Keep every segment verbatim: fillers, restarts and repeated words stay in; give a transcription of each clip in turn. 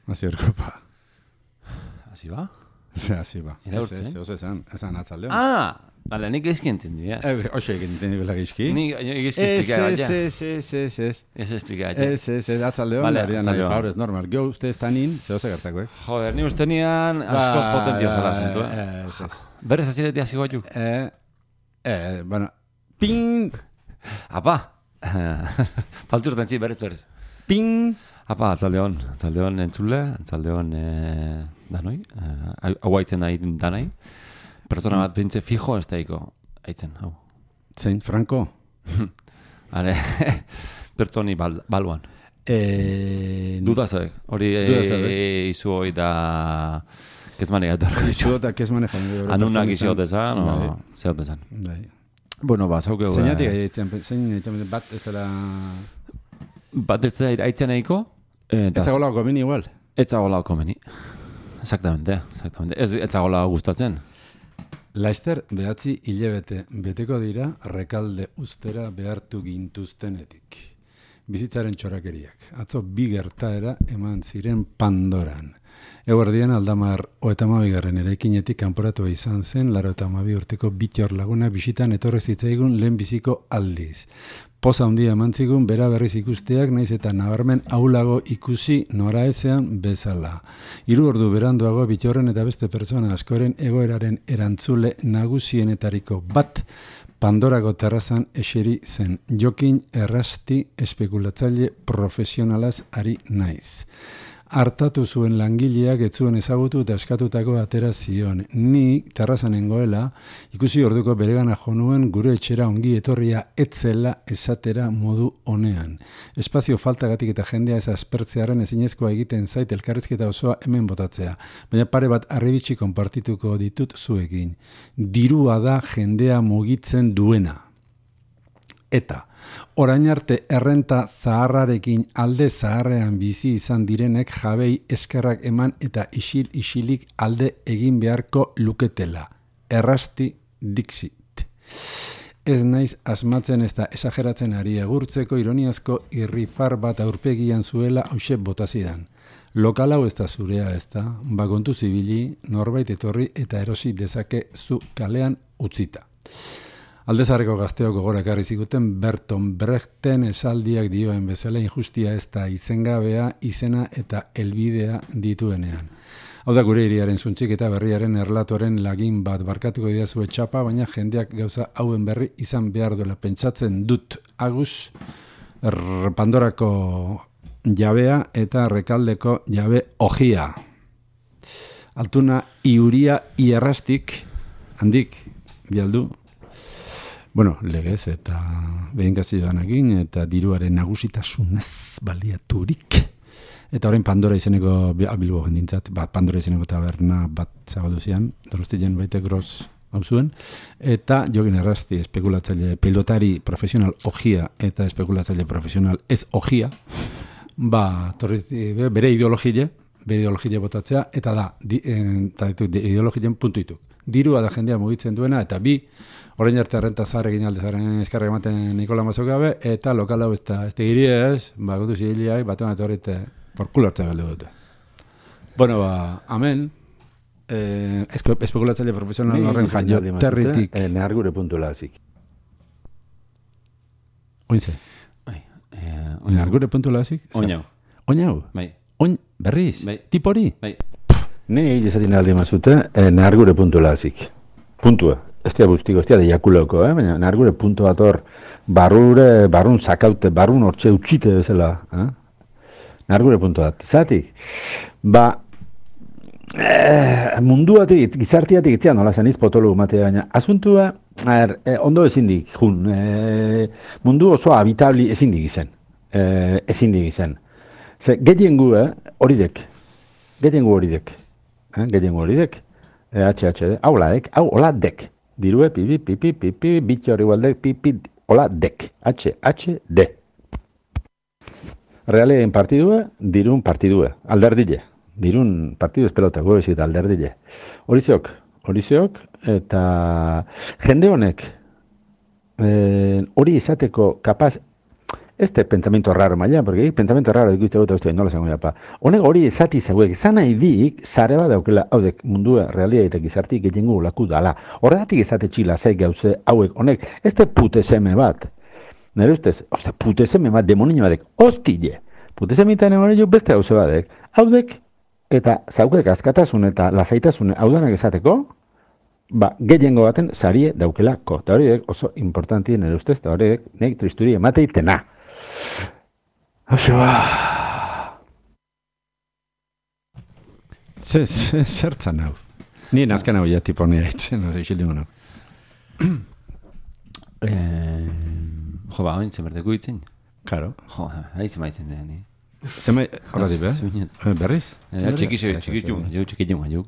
Azio Erkopa. Hasi ba? Hasi ba. Iraurtzen? Ez, ez, oso esan, esan atzaldeon. Ah, bale, nik ezki entendi, ja. Eh, oso egin dela gizki. Ni ezki Ez, explicar, ez, ja. ez, ez, ez, ez. Ez explicar, ja. Ez, ez, ez, atzaldeon, Vale, barian, atzaldeon. favorez, normal. Gio, uste ez tanin, zehose gertako, eh? Joder, ni uste nian askoz potentio zela zentu, eh? Ez, ez. Berrez azireti hasi guatu. Eh, eh, bueno, ping, Apa! Faltzurten zi, berrez, berrez. ping. Apa, atzaldeon, atzaldeon entzule, atzaldeon eh, danoi, eh, hau haitzen nahi danai. Pertsona bat bintze fijo ez daiko, haitzen, hau. Zein, Franco? Hale, pertsoni bal, baluan. Eh, Duda zoek, hori Duda zoek. eh, izu hoi da... Kezmane gatorko. Izu eta kes manejan. Anunak izu dezan, o Bai. zehot dezan. Bai. Bueno, ba, zaukeu... Zeinatik eh, aitzen, zein aitzen bat ez dela... Bat ez da haitzen nahiko, eh, Ez dagoela gomini igual. Ez zagola komeni. Exactamente, exactamente. Ez, ez zagola gustatzen. Laster behatzi hilebete beteko dira rekalde ustera behartu gintuztenetik. Bizitzaren txorakeriak. Atzo bi gertaera eman ziren Pandoran. Eguerdian aldamar oetamabigarren eraikinetik kanporatu izan zen laro eta hamabi urteko bitior laguna bisitan etorri zitzaigun lehen biziko aldiz. Poza handia emantzigun bera berriz ikusteak naiz eta nabarmen aulago ikusi noraezean bezala. Hiru ordu beranduago bitorren eta beste pertsona askoren egoeraren erantzule nagusienetariko bat Pandorako terrazan eseri zen. Jokin errasti espekulatzaile profesionalaz ari naiz. Hartatu zuen langileak ez zuen ezagutu eta eskatutako atera zion. Ni terrazan nengoela ikusi orduko beregana jo nuen gure etxera ongi etorria etzela esatera modu honean. Espazio faltagatik eta jendea ez aspertzearen ezinezkoa egiten zait elkarrizketa osoa hemen botatzea. Baina pare bat arribitsi konpartituko ditut zuekin. Dirua da jendea mugitzen duena. Eta, orain arte errenta zaharrarekin alde zaharrean bizi izan direnek jabei eskerrak eman eta isil-isilik alde egin beharko luketela. Errasti dixit. Ez naiz asmatzen ez da esageratzen ari egurtzeko ironiazko irrifar bat aurpegian zuela hauxe botazidan. Lokal hau ez da zurea ez da, bakontu zibili, norbait etorri eta erosi dezake zu kalean utzita. Aldezarreko gazteok gogora ekarri ziguten Berton Brechten esaldiak dioen bezala injustia ez da izengabea, izena eta helbidea dituenean. Hau da gure hiriaren zuntxik eta berriaren erlatoren lagin bat barkatuko diazue txapa, baina jendeak gauza hauen berri izan behar duela pentsatzen dut agus Pandorako jabea eta Rekaldeko jabe ojia. Altuna iuria ierrastik handik bialdu. Bueno, legez eta behinkazioanakin eta diruaren nagusitasunez baliaturik. Eta orain Pandora izeneko abilbo jendintzat, bat Pandora izeneko taberna bat zabaldu zian, Donostian baite gros hau zuen. Eta jokin errasti espekulatzaile pilotari profesional ojia eta espekulatzaile profesional ez ojia, ba, torri, bere ideologie, bere ideologie botatzea, eta da, di, eta ideologien puntu ditu. Dirua da jendea mugitzen duena, eta bi, orain arte renta zahar egin aldezaren eskarra ematen Nikola Mazok gabe, eta lokal hau ez da, ez tegiri ez, ba, gutu zigiliak, bat eman etorrite, porkulo hartza galdu dute. Bueno, ba, amen, eh, espekulatzaile profesional horren jaio territik. Eh, nehar gure puntu lazik. Oinze. Bai, eh, Nehar gure puntu lazik? Oinau. Oinau? Bai. Oin, berriz? Bai. Tipori? Bai. Ni izatin aldi mazute, eh, nehar gure puntu lazik. Puntua. Ez dira bustiko, ez dira diakuloko, eh? Baina nehar gure puntu bat hor, barrure, barrun zakaute, barrun hortxe utxite bezala. Eh? Nehar gure puntu bat. Zatik, ba, eh, munduatik, gizartiatik itzia nola zen izpotolu matea, baina asuntua, er, eh, ondo ezindik, jun, eh, mundu oso habitabli ezindik izen. Eh, ezindik izen. Ze, getiengu, eh, horidek. Getiengu horidek. Eh, getiengu horidek. E H H D, hau ladek, hau hola dek. Dirue, pipi, pipi, pipi, bitxo hori gualdek, pipi, hola dek. H H D. Realien partidua, dirun partidua. Alderdile. Dirun partidu espelota, gobezik alderdile. Horiziok, horiziok, eta jende honek, hori e, izateko kapaz, este pensamiento raro maila, porque pensamiento raro ikuste dut uste nola zango pa. Honek hori esati zeuek, zan nahi dik, zare bat daukela, haudek mundua realitatea gizartik gehiengo laku dala. Horregatik esate txila zei gauze hauek, honek, este pute seme bat. Nere ustez, oste, pute seme bat, demonino batek, ostile. Pute semitan emore beste gauze batek. Haudek, eta zaukek askatasun eta lasaitasun haudanak esateko, ba, gehiengo baten sarie daukelako. Eta horiek oso importantien nire ustez, eta horiek nek tristuri emateitena. Hauze ba... Zertzan hau? Ni nazken hau ja tipo nire haitzen, no, isildimu nau. Jo, ba, oin zemerteko itzen. Claro. Jo, hain zemaitzen da, ni. Zema, horra dibe? Berriz? Txiki zeu, txiki zeu, jau txiki zeu, jau.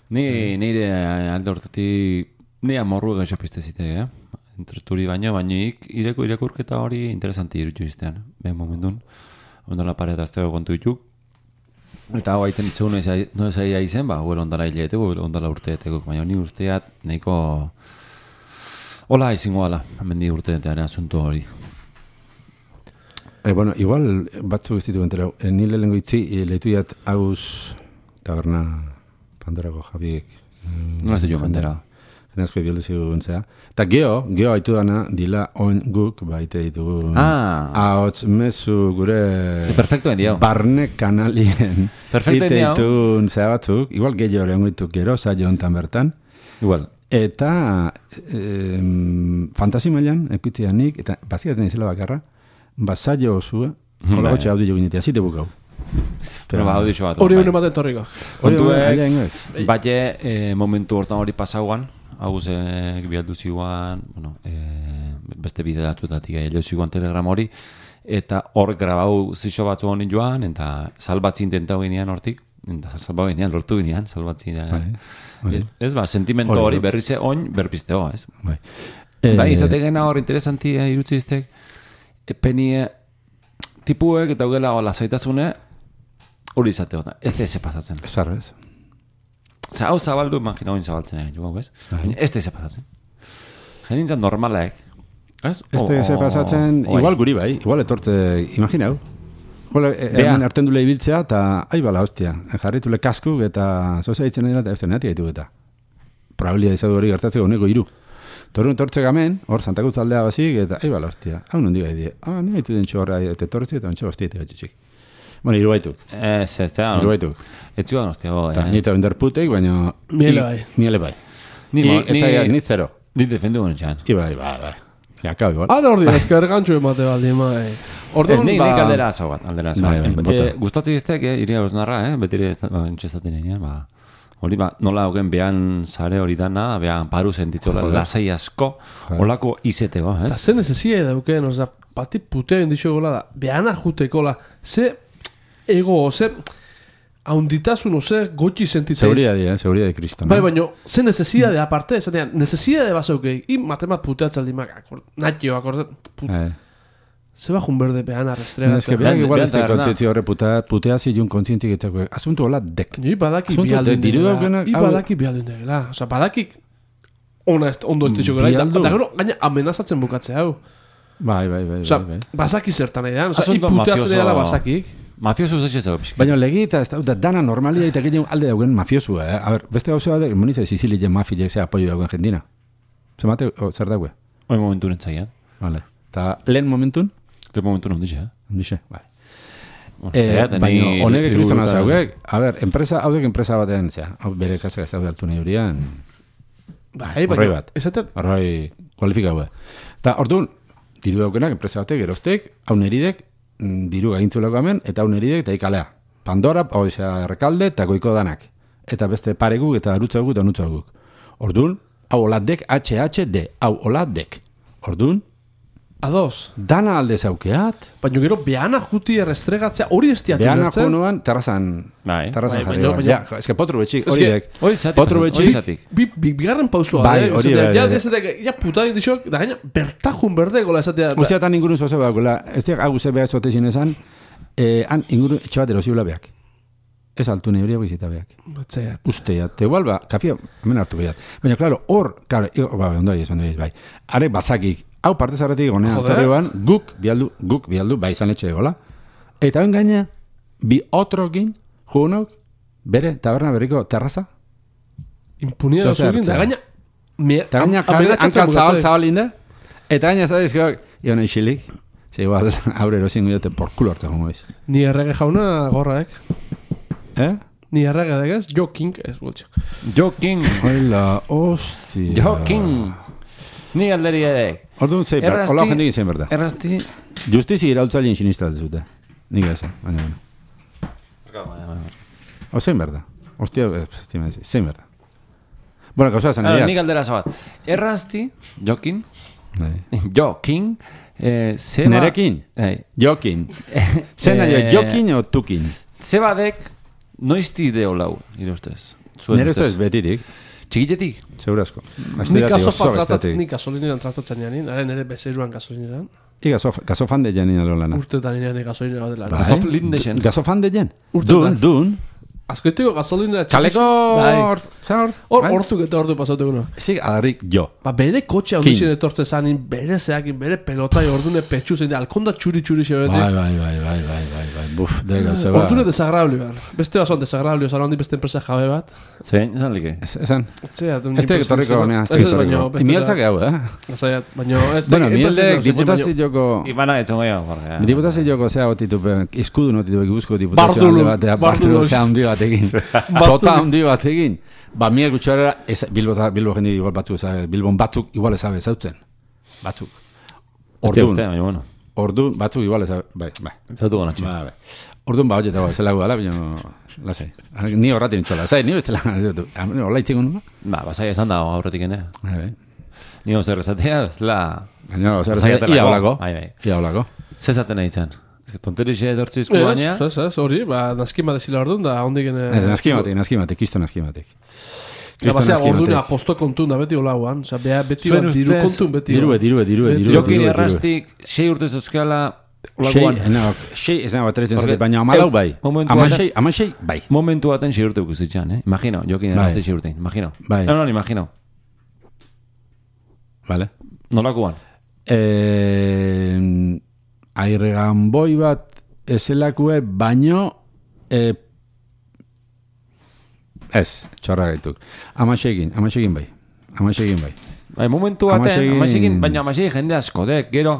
Nire alde hortatik, nire amorru gaixo piztezite, eh? Interesturi baino, baino ik, ireko irakurketa hori interesanti irutu iztean, behen momentun. Ondala pareta aztego kontu dituk. Eta hau haitzen itzegun no ezaia izen, ba, huel ondala hileeteko, ondala urteeteko. Baina ni usteat nahiko... Hola izingo ala, hemendi urteetearen asunto hori. Eh, bueno, igual batzuk ez ditu enterau. Eh, nile lengo itzi, eh, lehitu jat hauz taberna Pandorako Jabiek. Nola ez du jo bandera? Genazko ibildu ziguntzea. Eta geho, geho haitu dana, dila oin guk baite ditugu. Ah. Ahots mezu gure... Perfecto endio. Barne kanalien. Perfecto endio. Ite ditun zea batzuk. Igual gehiago lehenko ditu gero, saio hontan bertan. Igual. Eta eh, fantasi mailan, ekutzean nik, eta bazikaten izela bakarra, basaio osua, hola gotxe hau dugu ginetea, zite bukau. Pero ba, hau dizu bat. Hori hori ematen torriko. Kontuek, bate momentu hortan hori pasauan, hau zek bialdu ziguan, bueno, beste bide datzutatik egin ziguan telegram hori, eta hor grabau zixo batzu honin joan, eta salbatzi intentau ginean hortik, eta salbau ginean, lortu ginean, salbatzi ginean. Ez ba, sentimento hori berrize oin berpizteo, ez? Bai. Bai, izategena hor interesanti irutzi iztek, penie tipuek eta ugela lasaitasune hori izate hona. Ez da eze pasatzen. Ez arrez. Osa, hau zabaldu, makina hoin zabaltzen egin, jugu, ez? Ez da eze pasatzen. Jendintzat normalek. Ez? Ez da eze pasatzen, igual guri bai, igual etortze, imagina hau. Igual, hemen harten dule ibiltzea, eta aibala, hostia, jarritule kaskuk eta zozea itzen dira, eta ez da neati gaitu eta. Probabilia izadu hori gertatzeko honeko iru. Torun tortze gamen, hor Santakutz aldea bazik, eta aibala, hostia, hau nondi gai die. Ah, ni gaitu den txorra, eta tortze, eta ontsa hostia, eta gatxik. Bueno, iru baituk. Ez, ez, ez. Iru baituk. Ez zuan hostia, bo. Eta nita bender puteik, baina... Miele bai. Miele bai. Ni zero. Ni defendu honen txan. Iba, iba, bai. Ja, kau, igual. Ara ordi, ezker gantxo emate baldi, mai. Orduan, nik nik aldera azo bat, aldera azo bat. Gustatzen iztek, iria osnarra, eh? Betire entxezaten egin, ba... Hori ba, nola hogen behan sare hori dana, behan paru sentitzola lasai asko, holako izeteko, ez? Zer nezezia edauken, oza, pati putea indixo gola da, behana jutekola, ze ego, ze haunditasun, ze gotxi sentitzeiz. Seguridade, eh? Seguridade kristona. Bai, baina, ze nezezia de aparte, esatean, nezezia de basaukei, i matemat puteatzaldimak, akord, natio, akord, Eh. Se va un verde peana restregatzen. Es que vean igual este kontzientzia horre putea si un kontzientzi getzako. Asunto hola dek. Ni badaki bialdun dela. Ni badaki bialdun dela. Osa, badaki ona ondo ez dixo gara. Eta gero, gaina amenazatzen bukatzea hau. Bai, bai, bai. Osa, basaki zertan edan. Osa, iputeatzen dela basakik. Mafioso ez ez ez. Baina legi eta ez da dana normalia eta ginen alde daugen mafiosua. Eh? A ver, beste gauza bat, moniza Sicilia mafia ze apoio dagoen jendina. Zemate, zer daue? Hoi momentu nentzaian. Vale. Eta lehen momentun? De momento no ondixe, eh? Ondixe, bai. Eh, baina, honek kristona zaugek, a ver, enpresa, haudek enpresa batean, zera, hau bere kasek ez daude altu nahi horian, bai, baina, esatet... Horroi, kualifika hau. Eta, orduan, diru daukenak, enpresa batek, geroztek, hau neridek, diru gaintzuleko hemen, eta hau neridek, eta ikalea. Pandora, hau izan errekalde, eta goiko danak. Eta beste pareguk, eta arutzaguk, eta anutzaguk. Orduan, hau oladek, H H D, hau oladek. Orduan, Ados. Dana alde zaukeat. Baina gero behana juti errestregatzea hori ez diatu behana jonuan terrazan. Bai. Terrazan bai, jarri. Baina, ja, ez que potru betxik, hori dek. Hori zatik. Potru betxik. Bigarren pausua. Bai, hori bai. Ja, dezetek, ja puta indixok, da gaina bertajun berde gola esatea. Ustea tan ingurun zoze bagoela. Ez diak hau ze behar zote zinezan, eh, han ingurun etxe bat erosiula beak. Ez altu nahi horiak bizita beak. Batzeat. Usteat. Te igual ba, kafia, hemen hartu behat. Baina, klaro, hor, klaro, ba, ondo ahi, ondo ahi, bai. Are bazakik, hau parte zarretik gonean torreuan, guk bialdu, guk bialdu, bai izan etxe egola. Eta ben gaina, bi otrokin, jugunok, bere taberna berriko terraza. Impunidad da zuekin, da gaina... Eta gaina hanka zabal zabal inde, eta gaina ez da dizkiok, ion eixilik, ze igual, aurre erosin guiote por kulo hartu jongo iz. Ni errege jauna gorraek. Eh? Ni errege degez, Jo King ez gultxo. Jo King. Hola, hostia. Jo King. Ni alderi edek. Orduan zei, hola jendik izan berda. Errasti. Justizi irautzailien sinista dezute. Nik ez, baina, baina. O zein berda. Ostia, zein berda. Bueno, gauza esan egiak. Nik aldera zabat. Errasti, Jokin, Jokin, nerekin, Jokin. Zena jo, Jokin o Tukin? Zebadek, noizti ideo lau, ire ustez. Nire ustez betitik. Txikitetik? Segurasko. Nik gasolinean tratatzen janin, nire bezeruan gasolinean. I gasofan de janin alo lana. Urtetan nire gasolina bat dela. Gasofan de jen. Gasofan de jen. Dun, dun. Azkoiteko gasolina... Txaleko... Zahor... Hor, hortuk eta hortu pasatu guna. Zik, adarrik jo. Ba, bere kotxe hau dixen etortze zanin, bere zeakin, bere pelotai ordune petxu zein, alkonda txuri-txuri xebeti. Bai, bai, bai, bai, bai, bai, bai, buf, dega, zeba. Ordune desagrabli, ban. Beste basoan desagrabli, osan handi beste enpresa jabe bat. Zein, esan like? Esan. Etzea, du... Ez teko torriko honea, ez teko torriko. Imieltzak hau, eh? Zaiat, baina... Bueno, mieltek, diputazio joko... Ibana etzongo jau, jorge. Diputazio joko zea otitupe, izkudu notitupe, guzko diputazio handi batea, Bartolo zea handi batekin. Sota handi batekin. Ba, miel gutxarera, Bilbo, Bilbo jendi igual batzuk ezabe, Bilbon batzuk igual ezabe zautzen. Batzuk. Ordun. Ordun, batzuk igual ezabe, bai, bai. Zautu gona txu. Bai, bai. Ordun ba, hori eta bai, zela gudala, baina, lasai. Ni horratin txola, zai, ni bestela, hola itxingo nula? Ba, basai esan da horretik ene. Bai, bai. Ni ozer ezatea, ez la... Baina, ozer ezatea, ia holako. Ia holako. Zezaten nahi zen. Tonterixe edortzi izku baina. Ez, ez, hori, ba, naskima desila ordun da, hondik ene... Ez, naskimatik, naskimatik, kisto naskimatik. Eta basea, orduna posto kontun da beti olauan, oza, beti bat diru kontun beti. Dirue, dirue, dirue, dirue. Jokin errastik, sei urte zozkala, olaguan. Sei, ez nago atretzen zate, baina amalau bai. Ama sei, bai. Momentu baten sei urte ukuzitxan, eh? Imagino, Jokin errastik sei urtein, imagino. Bai. No, no, imagino. Vale. Nolakuan? Eh... Airregan boi bat ezelakue baino e, ez, txorra gaituk. Amaxegin, amaxegin bai. Amaxegin bai. Bai, momentu baten, amaxegin, baina amaxegin jende asko dek, gero,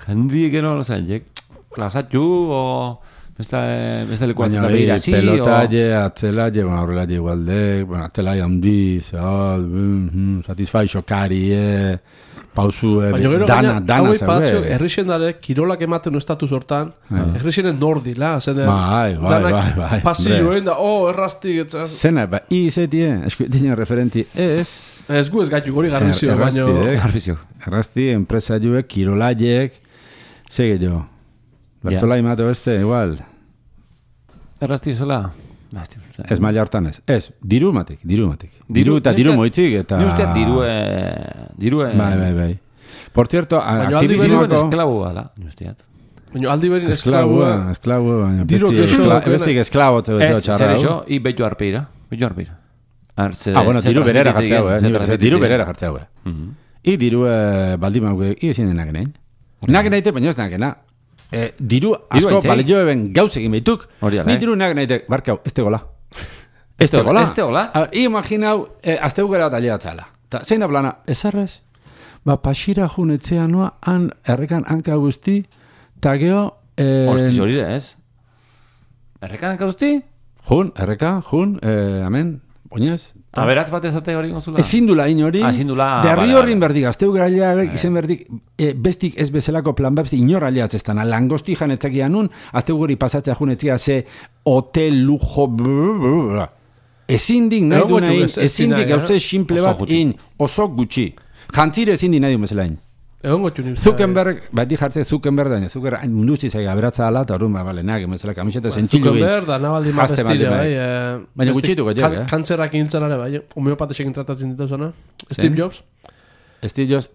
jendi gero, no zailek, klasatxu, o beste lekuatzen da behira, zi, o... Pelotalle, atzelalle, bueno, horrelalle igualdek, bueno, atzelalle handi, zehal, satisfaixo, kari, eh... Pausu, dana, dana zaue. Errixen dara, kirolak ematen estatu sortan, errixenen nordila, zene... Bai, bai, bai, bai. Pasilloen da, oh, errastik... Zena, ba, izetie, eskuetinen referenti ez... Ez gu ez gaitu gori garbizio, baino... Garbizio. Errasti, enpresa juek, kirolaiek, sege jo. Bertolai mato beste, igual. Errasti zela... Ez maila hortan ez. Ez, diru matik, diru matik. Diru eta diru moitzik eta... Ni usteat dirue... Dirue... Bai, bai, bai. Por cierto, aktivismoako... Baina esklabu gala, ni usteat. Baina aldi berin esklabu... Esklabu, baina bestik esklabu ez zer eixo, i betu arpeira. Betu arpeira. Ah, bueno, diru berera jartzeu, eh. Diru berera jartzeu, eh. I diru baldimau, i ezin denak nahin. Nak nahite, baina ez nak nahi. Eh, diru asko balio eben gauz egin behituk. Ni diru nak nahitek, barkau, ez tegola. Ez tegola. Ez tegola. I imaginau, eh, azte ugera bat alia batzala. Ta, zein da plana, ez arrez? Ba, pasira jun etzea noa, han, errekan hanka guzti, ta geho... Eh, Hosti, hori ez? Errekan hanka guzti? Jun, erreka, jun, eh, amen, oinez. Aberatz bat ezate hori gozula? Ezin dula inori. Ezin dula... Derri horrin berdik, azteu gara izen berdik, e, bestik ez bezalako plan bat, inor aliatzestan, langosti janetzak ianun, azteu gori pasatzea junetzia ze hotel, lujo, brrrr, ezin dik nahi du nahi, ezin dik gauze simple bat in, oso gutxi. Jantzire ezin dik nahi du bezala in. Zuckerberg, bat di jartze Zuckerberg da, Zuckerberg munduzi zaiga aberatza ala, eta horren, ba, bale, nahi, emezela kamiseta zentxilu egin. Zuckerberg da, nabaldi mapestire, bai. Baina gutxitu gotxek, eh? Kantzerrak intzen are, bai, homeopatesek tratatzen ditu zona. Steve Jobs. Steve Jobs,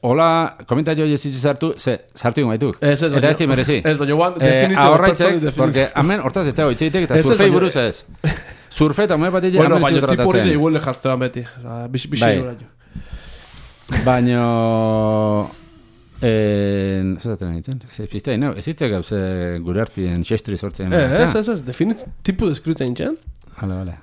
hola, komentario jesitzi sartu, ze, sartu ingo baituk. Ez, ez, eta ez ti merezi. Ez, baina guan, definitzo. Ahorraitzek, porque, amen, hortaz ez dago itxeitek, eta surfei buruz ez. Surfe eta homeopatia, amen ez du tratatzen. Bueno, baina tipo hori igual lejaztean beti. Bixi Baina... Eh, zaten egiten. Zizpiztea, no, ez zitzak gauz gure artien xestri sortzen. Eh, ez, ez, ez, definit tipu deskritu egin txan. Hala, hala.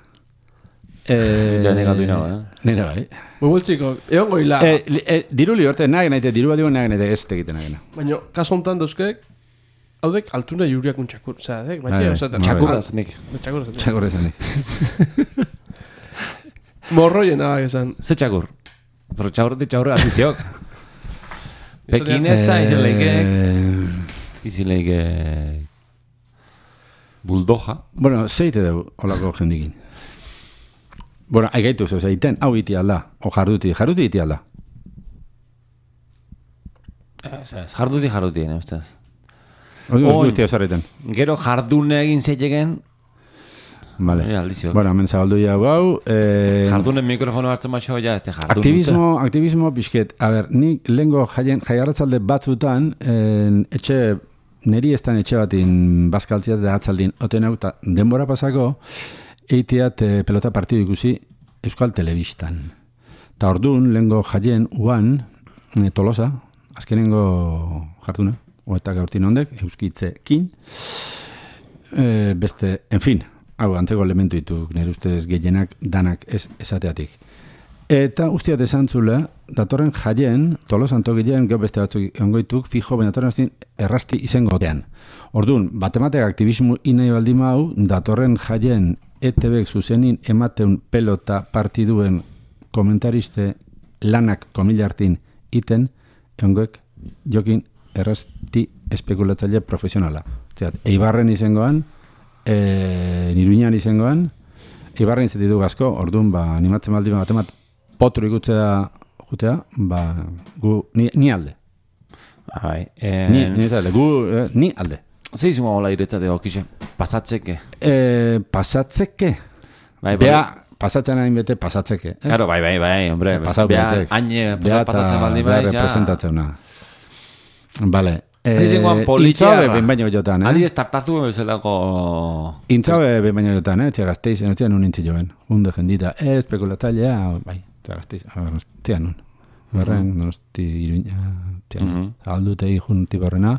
Eh, ja negatu inago, eh? Nera bai. Bubultziko, egon goila. Eh, li- eh, diru li horte, nahi nahi, diru bat digun nahi nahi, ez tegiten nahi. Baina, kaso honetan dauzkek, haudek altuna juriak un txakur. Osea, dek, Bai, baina, bai. osaten. Txakurra zenik. Txakurra zaten. Txakurra zen. Morroien abak esan. Ze txakur? Pero txakurretik txakurra afiziok. Pekinesa izan leike... Izan leike... Buldoja. Bueno, zeite dugu, holako jendikin. Bueno, aigaitu zo, zeiten, hau iti alda, o jarduti, jarduti iti alda. Ez, ez, jarduti jarduti, ne, ustez. Oin, Oin. guztia zareten. Gero jardune egin zeiteken, Vale. Mira, aldizio. Bueno, hemen zabaldu jau hau. Eh, jardunen mikrofono hartzen batxo, ja, ez de jardun. aktivismo, aktivismo pixket. A ber, nik lehengo jaien, jaiarratzalde batzutan, en, etxe, neri estan etxe batin bazkaltziat da atzaldin, oten hau, ta denbora pasako, eiteat eh, pelota partidu ikusi Euskal Telebistan. Ta orduan, lehengo jaien, uan, eh, Tolosa, azkenengo jarduna, oeta gaurtin ondek, euskitzekin, eh, beste, en fin, hau, antzeko elementu ditu, nire ustez gehienak danak ez esateatik. Eta ustiat esan zule, datorren jaien, Tolosan tokien, gero beste batzuk ongoituk, fijo, baina datorren aztin errasti izengotean. Orduan, batematek aktivismo inai baldin hau, datorren jaien E T Bek zuzenin emateun pelota partiduen komentariste lanak komilartin iten, ongoek jokin errasti espekulatzaile profesionala. Zerat, Eibarren izangoan, e, Niruñan izangoan, Eibarren izatitu gazko, orduan, ba, animatzen baldi bat emat, potru ikutzea jutea, ba, gu, ni, ni alde. Bai, eh, Ni, ni alde, gu, eh, ni alde. ze izango hola iretzate okixe, pasatzeke. E, pasatzeke? Bai, bai. Bea, pasatzen hain bete, pasatzeke. Ez? Claro, bai, bai, bai, hombre, Pasau bea, betek. haine Bea pasatzen baldin bea bai, ja. representatzena. Vale. Ari zingoan Intzabe politiarra. ben baino jotan, eh? Ari ez tartazu bezalako... Intzabe ben baino jotan, eh? Txea gazteiz, enotzean un intzi joen. Hunde jendita, eh, espekulatzailea, bai, txea gazteiz, txea nun. Berren, donosti iruña, txea nun. Aldute ikun tibarrena,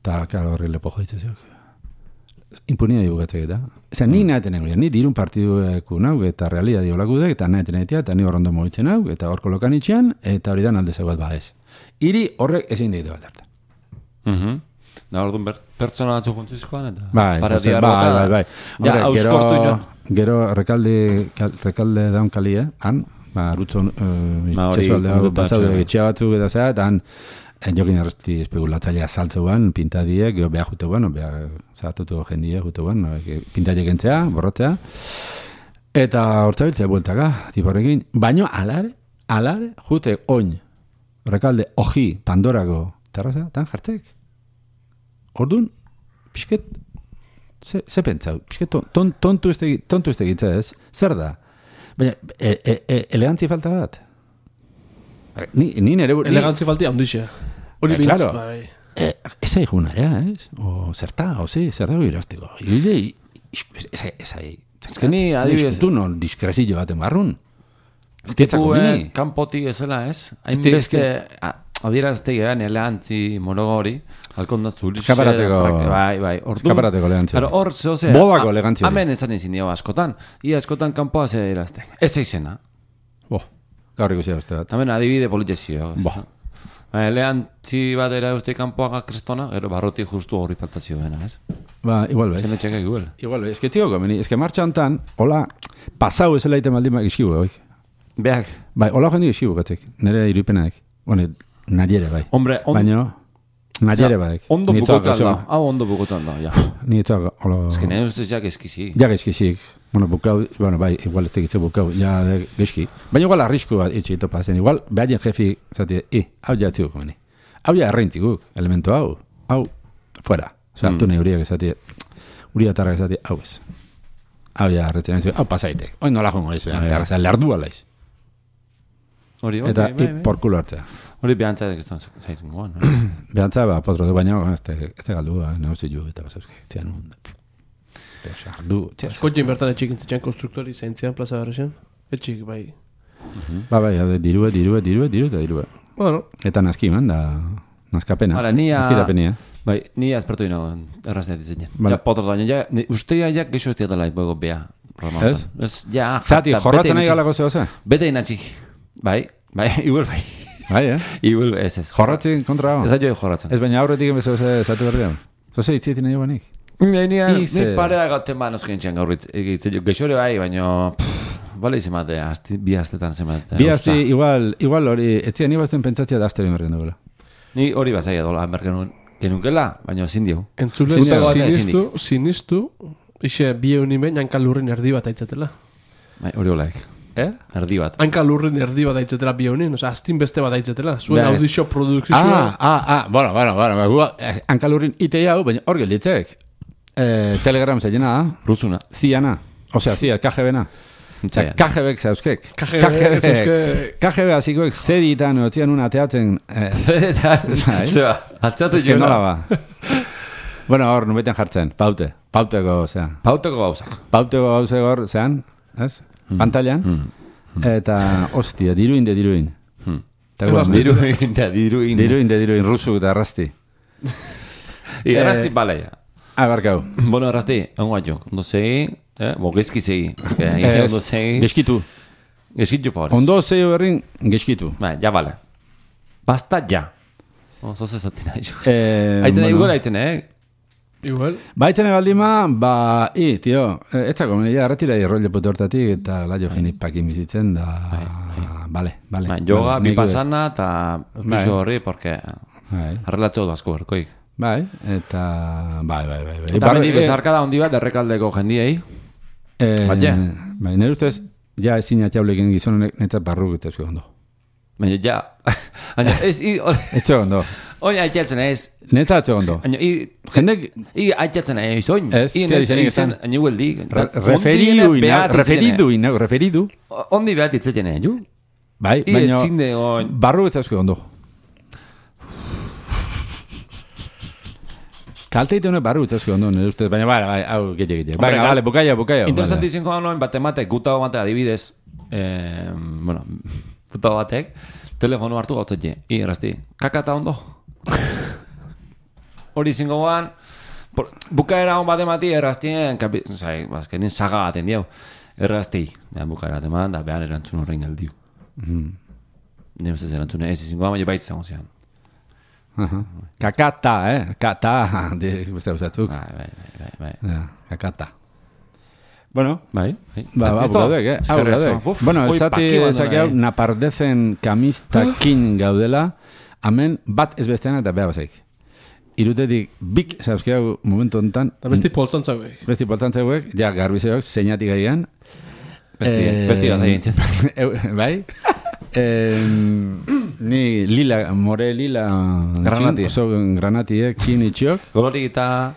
eta, karo, horri lepo joitzezok. Impunia dibugatzek eta. Eza, ni nahi nahi, ni dirun partidueku nauk, eta realia diolakudek, eta nahi nahi eta ni horrondo moitzen nauk, eta hor kolokan itxean, eta hori da alde zegoet ba ez. Iri horrek ezin ditu bat harta. Mhm. Da, orduan ber, pertsona batzu juntzizkoan, eta... Bai, para ose, diarroka, bai, bai, bai. Ja, Hombre, gero, auskortu inon. gero rekalde, kal, rekalde daun kalie, han, ba, rutzon, uh, Ba, hori, itxasualde hau komentu pasaude batxe, etxea batzuk eta zera, eta han, en jokin erresti espekulatzailea saltzeuan, pintadiek, geho beha juteuan, beha zahatutu jendie juteuan, pintadiek entzea, borratzea, eta hortzabiltzea bueltaka, tiporrekin, baino alare, alare, jute oin, rekalde, oji, Pandorako, terraza, tan jartzek. Orduan, pixket, ze, ze pentsau, pixket, ton, tontu ez tegi- tontu ez tegitza ez, zer da? Baina, e, e, e, elegantzia falta bat? Ni, ni nere... ni- Elegantzi falti handixe. Hori Eh, bintz, claro. bai. Eh, ez aigun area, ez? O zerta, o ze, zer dago irazteko. Ile, ez ez Ez que ni, adibidez- Du non diskrezillo baten barrun. Ez que Tipu, etzako eh, mini. kanpotik ezela, ez? Ez Hain que- beste, adierazte gehan, elantzi, morogo hori, halkon da zurixe... Eskaparateko- prak- Bai, bai, orduan... Eskaparateko elegantzia. Claro, hor, zeo ze... Bodako a- elegantzia hori. Hemen esan izin dio askotan. Ia askotan kanpoa ze adierazte. Ez eizena. Bo, gaur ikusia beste bat. Hemen adibide politezio. Ba. Ba, eleantzi bat era uste kanpoaga kristona, gero barroti justu hori faltazio bena, ez? Ba, igual bai. Zene txekak igual. Igual bai, ez que txiko komeni, ez que martxa hontan, hola, pasau ez elaiten baldin bak iskibu, bai. Beak, Bai, hola jendi iskibu gatzek, nire irupenak. Bueno, nariere bai. hombre, on, Baina, nariere bai. ondo bukotan da. Hau ondo bukotan da, ja. Ni etzak, hola... Ez que nahi ustez jak eskizi. Ja gaizkizik. Bueno, bukau, bueno, bai, igual ez tegitze bukau, ja de- gaizki. Baina igual arrisku bat itxi ito pasen. Igual, behaien jefi, zati, i, hau ja etziguk komeni. Hau ja erreintziguk, elemento hau. Hau, fuera. Osa, Mm. hartu nahi uriak ezati, uriak tarrak ezati, hau ez. Hau ja erretzen ez, hau pasaitek. Oin nola jongo ez, Bai, behan, bai. lerdu alaiz. Hori, hori, Eta, bai, i, bai. porkulo hartzea. Hori behantzatek ez da zaizun goan. Behantza, ba, potro du, baina, ez te, ez te galdu, ba, nahuzi ju, eta basauske, txean nun. Sardu, txea. Askotxin bertan etxik intzitzen konstruktori zaintzian plaza berrezen. Etxik, bai. Ba, bai, hau de, dirue, dirue, dirue, dirue, eta dirue. Bueno, Eta naski man, da, Nazkapena. Hala, nia... Nazkitapenia. Bai, ni aspertu ino errazneat izan. Vale. Ja, potro daño, ja, ustea ja geixo ez diatela ipoego bea. Ez? Ez, ja... Zati, jorratzen nahi galako zeo ze? Bete inatxi. Bai, bai, igual bai. Bai, eh? Igual, ez ez. Jorratzen kontra hau? Ez da jo jorratzen. Ez baina aurretik emezeo ze zatu berdean. Zoze itzietin nahi banik? Ni, ni, ni Ize. parea gaten ba noskien txan gaurritz. Geixore bai, baina... Bale izan bate, asti, bi astetan zemate. Bi asti, igual, igual hori, etzia ni bazten pentsatzea da astero inbergen duela. Ni hori bazaia dola, bergen genunkela, baina ezin diu. Entzule, Zute batea ezin sinistu, sinistu, ixe bi eunimen hanka lurrin erdi bat aitzatela. Bai, hori olaik. Eh? Erdi bat. Hanka lurrin erdi bat aitzatela bi eunin, oza, astin beste bat aitzatela. Zuen Bai. audizio produkzioa. Ah, ah, ah, bueno, bueno, bueno, bueno, eh, hankalurin ite hau, baina hor gelditzek. Eh, Telegram zeilena da, Rusuna. ziana, osea, zia, K G B-na. Osea, K G B-ek zauzkek. K G B zauzkek. K G B hasikoek zeditan otzian un ateatzen... Eh, Zai. Zeba, atzatu Ez que nola ba. Bueno, hor, nubetean jartzen, paute, pauteko, osea. Pauteko gauzak. Pauteko gauze hor, zean, ez? Pantailan. Eta, ostia, diruin de diruin. Eta gero, Diruin, da, diruin. Diruin de diruin, rusuk eta arrasti. I errasti baleia. Ah, barkau. Bueno, errasti, egun guatxo. Ondo segi, eh? Bo, gezki segi. Ige ondo segi. Geskitu. Geskitu favorez. Ondo zeio berrin, geskitu. Ba, ja bale. Basta ja. Oso zezatin nahi jo. Eh, Aitzen nahi bueno. igual aitzen, eh? Igual. Baitzen ebaldima, ba, i, tio, eh, etzako, ja, retira irrol lepute hortatik, eta laio jenik pakin bizitzen, da, bale, bale. Ba, yoga, Vale, bi nik- pasana, eta Bai. piso horri, porque Bai, arrelatxo du asko berkoik. bai, eta, bai, bai, bai. bai. Eta Barre- mendik eh, bezarkada handi bat errekaldeko jendiei. eh, Baina. Bai, nire ustez, ja ezin atxauleken gizonek netzat barru gitzezko ondo. Baina ja, baina ez, i, Etxe ondo. oin aitztzen ez, Netzat etxe ondo. baina i, Jendek, i aitztzen ez, oin. Ez, I, tia dizenik izen, esan. ainu geldi. re- referidu, ina- referidu, ina- referidu. Ondi behat itzetzen ez, ju? Bai, I, baina, ezin de, oin. barru gitzezko ondo. Kalte ite honek barru gitzezko ondo, nire ustez, baina, bai, bai, hau, gete, gete. Hombre, Baina, gal- bale, bukaia, bukaia. Interesanti izango da noen bat ematek, gutago batek adibidez, eh, bueno, gutago batek, telefonu hartu gautzetxe, i, errazti, kakata ondo? Hori izango guan, por- bukaera hon bat emati, erraztien, kapi, zai, bazkenin saga baten diau, errazti, ja, bukaera bat eman, da behan erantzun horrein galdiu. Nire ustez erantzune ez izango da, baina baitz zango zean. Aha. Kakata, eh? Kata, de, beste gauzatzuk. Bai, bai, bai, bai, bai. Ja, kakata. Bueno, Bai, bai. ba, ba, Listo? bukaudek, eh? Hau, Eskerrik asko. bukaudek. Uf, Bueno, hoi esati, paki bat esaki dena, hau, eh. napardezen kamistakin gaudela, hemen bat ez bestean eta beha bazaik. Irutetik bik, zauzki hau, momentu honetan, Eta besti poltzantzauek. besti poltantzeuek, ja, garbizeok, zeinatik gaian. Besti, Eh, besti bat egintzen. Eu- Bai? Em, ni lila, more lila Granati. oso granatiek, kin itxiok, Golorik eta...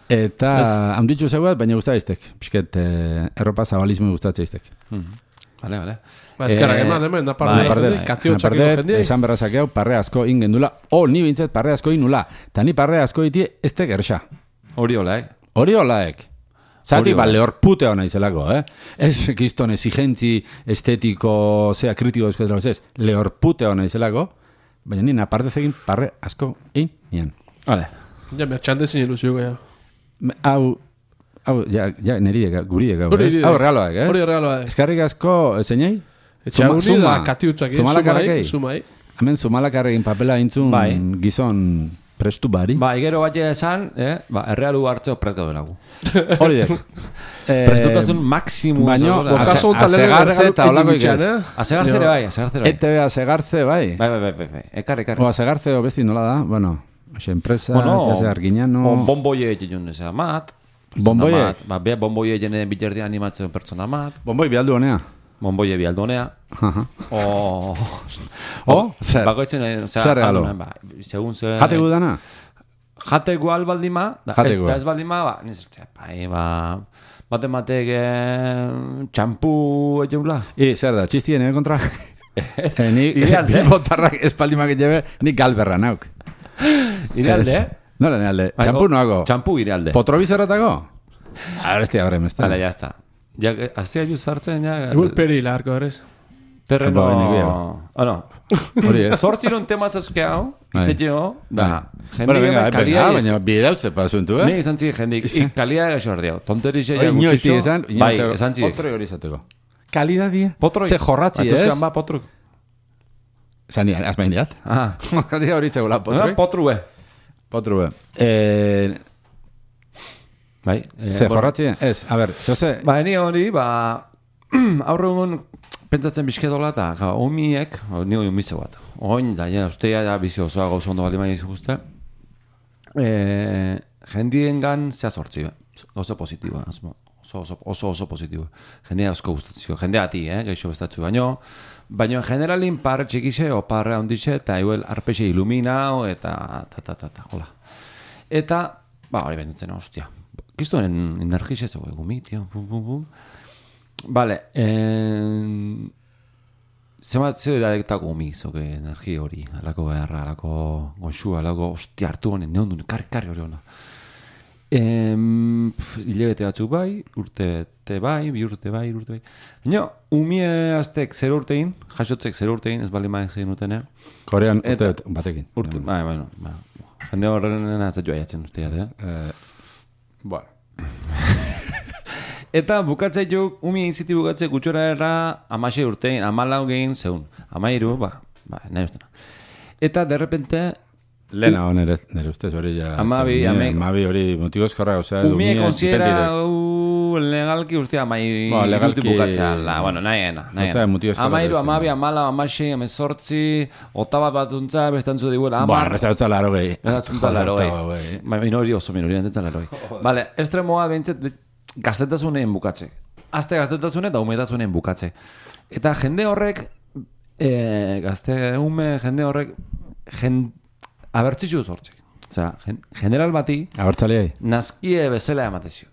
eta Ez. handitxu zeuat, baina gustaiztek. Pisket, eh, erropa zabalizme gustatzea iztek. Vale, vale. Ba, eskerrak Eh, eman, hemen, bai, naparde bai, jende, katio txakiko Napardet, jende. esan berra zakeu, parre asko ingendula, o, ni bintzet parre asko inula, eta ni parre asko iti ez tek erxa. Hori hola, eh? Hori holaek. Zati, Hori ba, hola. lehorpute hona izelako, eh? Ez, kiston, exigentzi, estetiko, zea, kritiko eskotela, ez, lehorpute hona izelako, baina ni naparte zegin parre asko in nian. Vale. Ja, mertxandezin ilusio gaya. Me- Hau, hau, ja, ja, niri, guri ega, Hori ez? niri. Hau, realoak, ez? Hori regaloa. Eskarrik asko, zeinei? Etxaguri Zuma- da zuma- katiutzak, eh? zumalakarrakei. Sumai, Hemen zumalakarrekin papela intzun Bai. gizon prestu bari. Ba, igero bat esan, eh? Ba, errealu hartzeo prest gaudelagu. Hori dek. Eh, Prestutasun maksimu. baino, zegoela. Ase- Okaso honetan lehen asegartze erregalu eta holako egin ikez. eh? Asegartzere bai, asegartzere bai. E T V asegartze, bai. Bai, bai, bai, bai, bai. Ekar, ekar. O asegartze o besti nola da, bueno, oxe, enpresa, Bueno, txase arginano... on bomboie egin ezea mat. Bomboiek? Pertsona mat. Ba, be, bomboie egin bilerdian animatzen pertsona mat. Bomboi bialdu honea. Bomboie bialdonea. Aha. O... O, zer? Bakoitzen, eh, osea, Zer regalo? aldunan, ba, segun ze... Jate gudana? Jate gual baldima, da, Jate ez, gu. da ez baldima, ba, nizertzea, bai, ba, bate matek eh, txampu egeula. I, zer da, txistien ere kontra? Eh, ni Idealde. bilbotarrak espaldimak jebe, ni galberra nauk. Idealde, eh? Nola, ne alde, Bai, txampu o- noago. Txampu idealde. Potrovizerratako? A ver, este abre, mesta. Hala, ya está. Ja, azia ju sartzen, ja... Igual peri larko, eres. Terreno... Ba, neguia. Ah, no. Hori ez. Zortziron tema zazke hau, Bai. itzetio, da, Bueno, venga, jendik kalia... venga, baina bidauze pasuntu, eh? Nik esan tzik jendik, Izan. kalia gaixo ardeau. Tonterixe Hori ja inoiz gutxito. esan, Bai, esan tzik. Potroi hori izateko. Kalidadie. Potroi. Ze jorratzi, ez? Atuzkan ba, potruk. Zani, azmain diat. Ah. Kalidad hori txegola, potroi. Potru, eh. Potru, eh. Eh, Bai. eh, Ze bueno. jorratzi, ez, a ber, zoze... Ba, ni hori, ba, aurre egun pentsatzen bizkedola eta, ja, omiek, ni hori umitze bat. Oin, da, ja, ustea, ja, bizi osoa gauza ondo bali maia izguzte. E, jendien gan, zea sortzi, oso positiboa, asmo. Oso, oso, oso, oso positiboa. Jendea asko gustatzio, jendea ati, eh, gaixo bestatzu baino. Baina, generalin, parre txikixe, o parre handixe, eta igual arpexe iluminao, eta, ta, ta, ta, ta, hola. Eta, ba, hori benditzen, ostia. Kistoen energixe, zego, egumi, tio, bum, bum, bum. Vale, eh... Zemat zeu da eta gumi, zoke energi hori, alako beharra, alako goxua, alako, ostia, hartu honen, neon duen, karri, karri hori hona. Ehm, hilebete batzuk bai, urte bete bai, bi urte bai, urte bai. Baina, umie aztek zer urtein, jasotzek zer urtein, ez bali maek zein utene. Korean Eta- urte batekin. Urte, bai, bueno, ba, jende horren atzat joa jatzen usteat, eh? Eh, bueno. Eta bukatzei juk, umi iziti bukatzei gutxora erra, amasei urtein, amalau gehin zeun. Amairu, ba, ba, nahi ustena. Eta, derrepente, Lena hon nere, nere ustez hori ja... Amabi, ez da, ame- Amabi hori motigozkorra, osea... umie dumie, konsidera diferentide. legalki ustea amai Ba, legalki- bukatzea. La, bueno, nahi gena, nahi Osea, gena. motigozkorra Amairu, beste, amabi, no. amala, amasei, amezortzi, otabat batuntza, bestantzu diguela, Bueno, amar. beste dutza laro gehi. Bezatzunta Joder, laroi. eta, güey. Ba, minori oso minori, entetzen laroi. Vale, estremoa behintzet gaztetasunen bukatze. Azte gaztetasunen eta umetasunen bukatze. Eta jende horrek, e, gazte ume jende horrek, jen, abertzitzu sortzek. Osea, gen, general bati, Abertzaleai. nazkie bezala ematezio.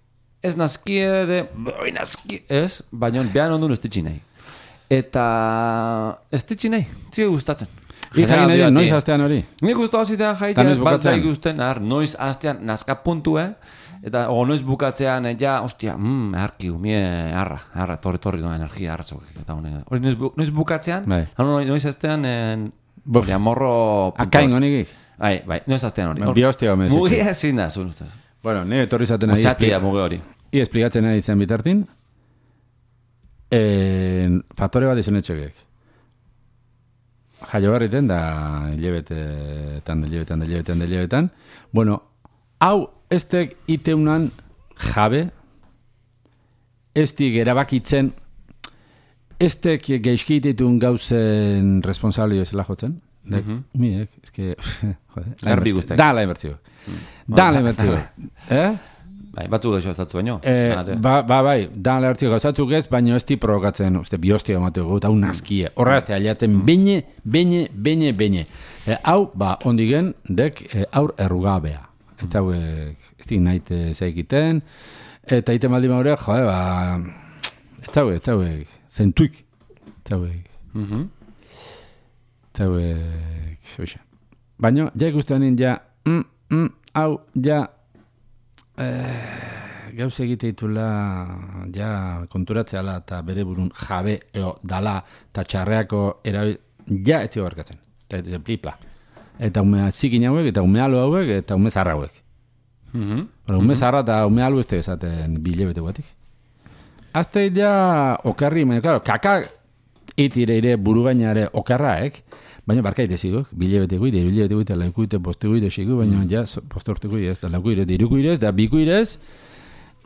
Ez nazkie de, oi nazkie, ez, baina behan ondun ez ditxi nahi. Eta ez ditxi nahi, zige gustatzen. Ija General egin bati. noiz astean hori. Nik guztu hazitean Ta jaitea, noiz ez bat bukatzen? da ikusten, ar, noiz hastean nazka puntue, eta o noiz bukatzean, eh, ja, ostia, mm, harki, umie, harra, harra, torri, torri, doa energia, harra zok, eta hone. Hori noiz, bu, noiz bukatzean, Bai. hano, noiz, noiz hastean, en, Buf. hori, amorro... Akain honikik. Bai, bai, noiz hastean hori. Ba, bi hostia gomez etxe. Mugia ezin da, zuen ustez. Bueno, ni etorri zaten nahi Osatia muge hori. I esplikatzen nahi izan bitartin, en, faktore bat izan etxegek. Jaio barriten da hilebetetan, da hilebetan, da hilebetan, da hilebetan. Bueno, hau estek iteunan jabe, estik erabakitzen, estek geizkititun gauzen responsabli bezala jotzen. Dek, Mhm. miek, eske, joder. Garbi guztek. Da la inbertzio. Da la inbertzio. Eh? Bai, batzuk gaixo ez datzu baino. Eh, Ade. ba, ba, bai, da alertzio gauzatzuk ez, baina ez di provokatzen, uste, biostio emateko gut, hau nazkie. Horra ez aliatzen, beine, beine, beine, beine. Eh, hau, ba, ondigen, dek, eh, aur errugabea. Eta hauek, ez dik nahi zeikiten, eta ite maldi maure, joe, ba, eta hauek, eta hauek, zentuik, eta hauek, Mhm. eta hauek, hoxe. Baina, ja ikusten nien, ja, mm, mm, hau, ja, Eh, gauz egite ditula ja konturatzeala eta bere burun jabe eo dala eta txarreako erabil ja etzi barkatzen. Eta ez plipla. Eta umea zikin hauek, eta ume alo hauek, eta ume zarra hauek. Mhm. Bueno, ume zarra eta ume alo ez esaten bilebete guatik. Azte ja okarri, baina, claro, kaka itire ire buru gainare okarraek, baina barkaite zigok, bilebete guide, irulebete guide, laukuite, poste guide, sigu, baina ja, poste urte guide ez, da lauku irez, da iruku irez, da biku irez,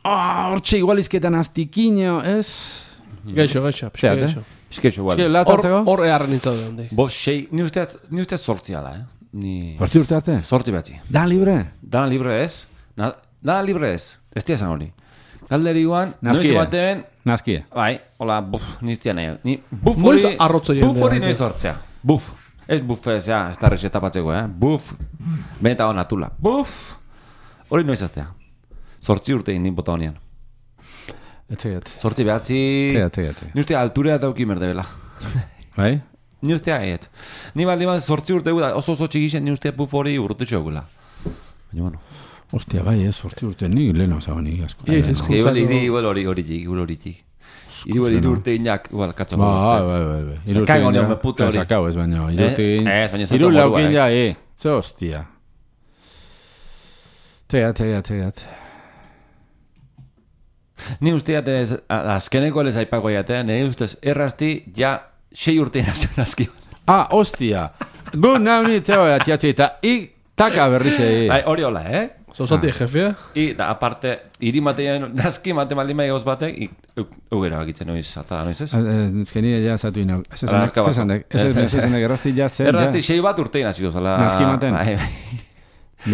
ah, hortxe igualizketan aztikineo, ez? Gaixo, gaixo, pixka Zeat, eh? gaixo. Esketxo, Eske, igual. lat Hor, hartzeko? hor eharren nintzen dut handik. Bo, sei, ni uste, ni uste sortzi ala, eh? Ni... Hortzi urte arte? Sortzi batzi. Da libre? Dana libre ez? Na, dana libre ez? Ez tia esan hori. Galderi guan, Nazkie. noiz baten, Nazkie. bai, hola, buf, niztia nahi. Ni, buf Noiz hori, arrotzo buf jendea, hori ente. noiz sortzea. Buf. Ez buf ez, ja, ez da rexetapatzeko, eh? Buf. Benta hona tula. Buf. Hori noiz aztea. Sortzi urte nin bota honian. Etzegat. Sortzi behatzi... Etzegat, etzegat. Ni uste alturea dauki merdebela. Bai? Ni ustea aiet. Ni baldi bat sortzi urte gu da, oso oso txikixen, ni ustea buf hori urte txogula. Baina, bueno. Ostia, bai, ez, hortzi urte, ni lehen osago nik asko. Ia, ez, ez. Eski, igual hiri, igual hori hori txik, igual hori txik. Iru iru urte inak, igual, katzo. Ba, bai, bai, bai. Iru urte Kago inak. neon puto hori. Sakau ez baino. Iru urte inak. Ez, baina Iru zato laukin morua, ja, eh. Ze hostia. Tegat, tegat, tegat. Ni usteat ez, azkeneko lez aipako jatea, nire ustez errazti, ja, sei urte nazio nazki. Ah, hostia. Gu nau ni zeo atiatzi eta ik taka berriz egin. Bai, hori hola, eh? Zauzati jefea? I, da, aparte, iri matean, nazki mate maldin bai gauz batek, ugera bakitzen noiz, alta noiz ez? Ezkeni ja zatu inau. Ez Ala, arka bat. esandek, ez esandek, errazti ja zen. Errazti, sei bat urtein nazio, zala... Nazki maten. Bai, bai.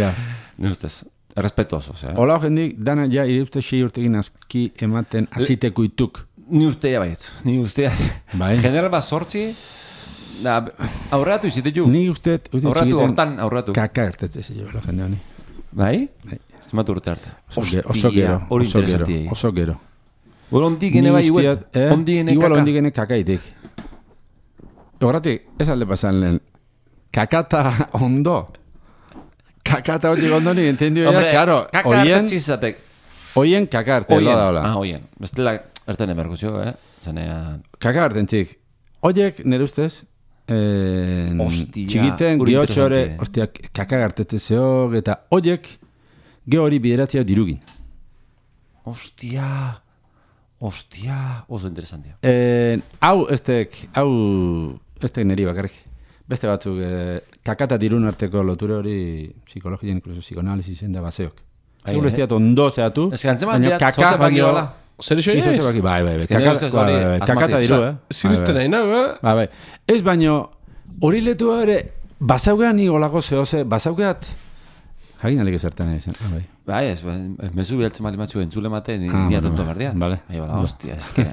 Ja. Ni ustez, respetuoso, eh? Hola jendik, dana ja ire uste sei urtekin aski ematen azitekuituk. Ni ustea baietz, ni ustea. Bai. General bat sortzi, da, aurratu izite ju. Ni uste, uste Aurratu, txikiten hortan, aurratu. kaka ertetze ze jo, jende honi. Bai? Bai. Zenbat urte arte. Oso ge- oso gero, hori oso gero, interesanti. oso gero. Bueno, ondik gene bai, igual, usteat, eh? ondik gene Igual kaka. ondik gene kakaitik. Horratik, ez alde pasan lehen. Kakata ondo. Kakata hori ondo ni entendio ya, claro, kaka oien, hartatzi izatek. oien kaka arte, lo da hola. Ah, oien. Bestela, erten emerguzio, eh? Zanea... Kaka arte entzik. Oiek, nire ustez, eh, Ostia, txikiten hori geotxore, interesante. ostia, kaka artetze zeok, eta oiek, ge hori bideratzea dirugin. Ostia... Ostia... Oso interesantia. Eh, hau, estek, hau, estek niri bakarrik. Beste batzuk, eh, kakata dirun arteko loture hori psikologian, inkluso psikoanalizisen da baseok. Bai, Segur eh? ez diat ondo zehatu, Ez que antzeman baina diat, kaka, zoze baki hola. Zer iso Izo ez? zebaki, bai, bai, bai, Ez que nire kakata, ustez bai, hori bai, bai, asmatzen. kakata diru, eh? Sinisten nahi nahi, eh? Bai, bai. Ez baino, hori letu ere, bazaugean ni olako zehoze, bazaugeat, jagin alik ezertan nahi zen, ah, bai. Bai, ez, mezu bialtzen mali matzu entzule mate, ni Ah, ni bueno, atonto bai. berdian. Vale. Bai, bala, hostia, ez que...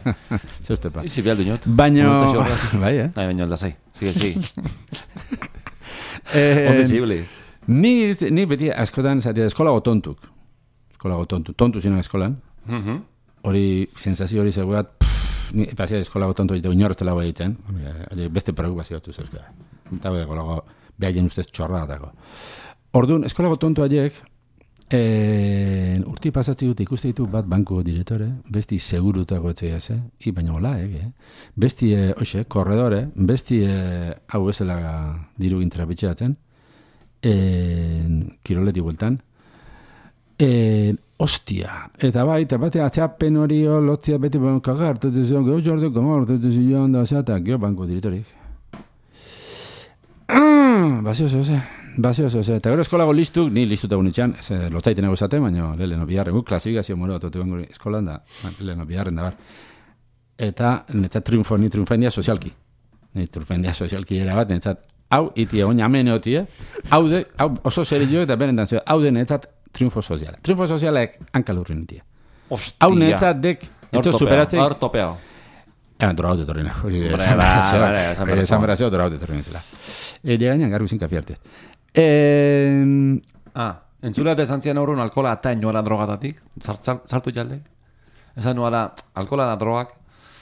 Zeuzte pa. Ixi bialdu inot. Baino, Montazio horretik. bai, eh? Bai, baino, lasai. Sigue, sigue. Eh, Onde zibili. Ni, ni beti askotan zatea eskolago tontuk. Eskolago tontu. Tontu zina eskolan. Hori, sensazio hori zegoat, ni pasia eskolago tontu egite uinortela bai ditzen. Beste preocupazio batzu zeuzka. Eta bai, eskolago, behaien ustez txorra datako. Orduan, eskolago tontu haiek, eh, urti pasatzi dut ikuste ditu bat banko direktore, besti segurutako etxea ze, i baina hola, eh? Besti, eh, oxe, korredore, besti, eh, hau bezala diru intrapitxeatzen, eh, kiroleti bueltan, eh, ostia, eta bai, eta bate atxapen hori lotzia beti banko hartu zion, geho jordeko hartu zion da zeata, geho banko direktorik. Ah, bazio zehose. Bazio zehose. Eta gero eskolago listuk, ni listuta unitxan, lotzaiten ego esate, baina leheno biharren, guk klasifikazio moro bat ote bango eskolan da, leheno biharren da bar. Eta netzat triunfo, ni triunfendia sozialki. Ni triunfendia sozialki era bat, netzat, hau, iti egon jamen eotie, hau de, hau oso serio eta beren danzio, hau de netzat triunfo soziala. Triunfo sozialek hankalurri nitia. Ostia. Hau netzat dek, ito superatzei, Hor topeao. Eh, drogaut etorrena. Hori Hombre, esan ba, berazio. ba, esan berazio. Esan berazio drogaut etorrena zela. Ere gainan garbi zin kafiarte. Eh, Ah, entzulea de zantzian aurrun alkola eta inoala drogatatik, sartu jalde. Esan nuala, alkola da drogak,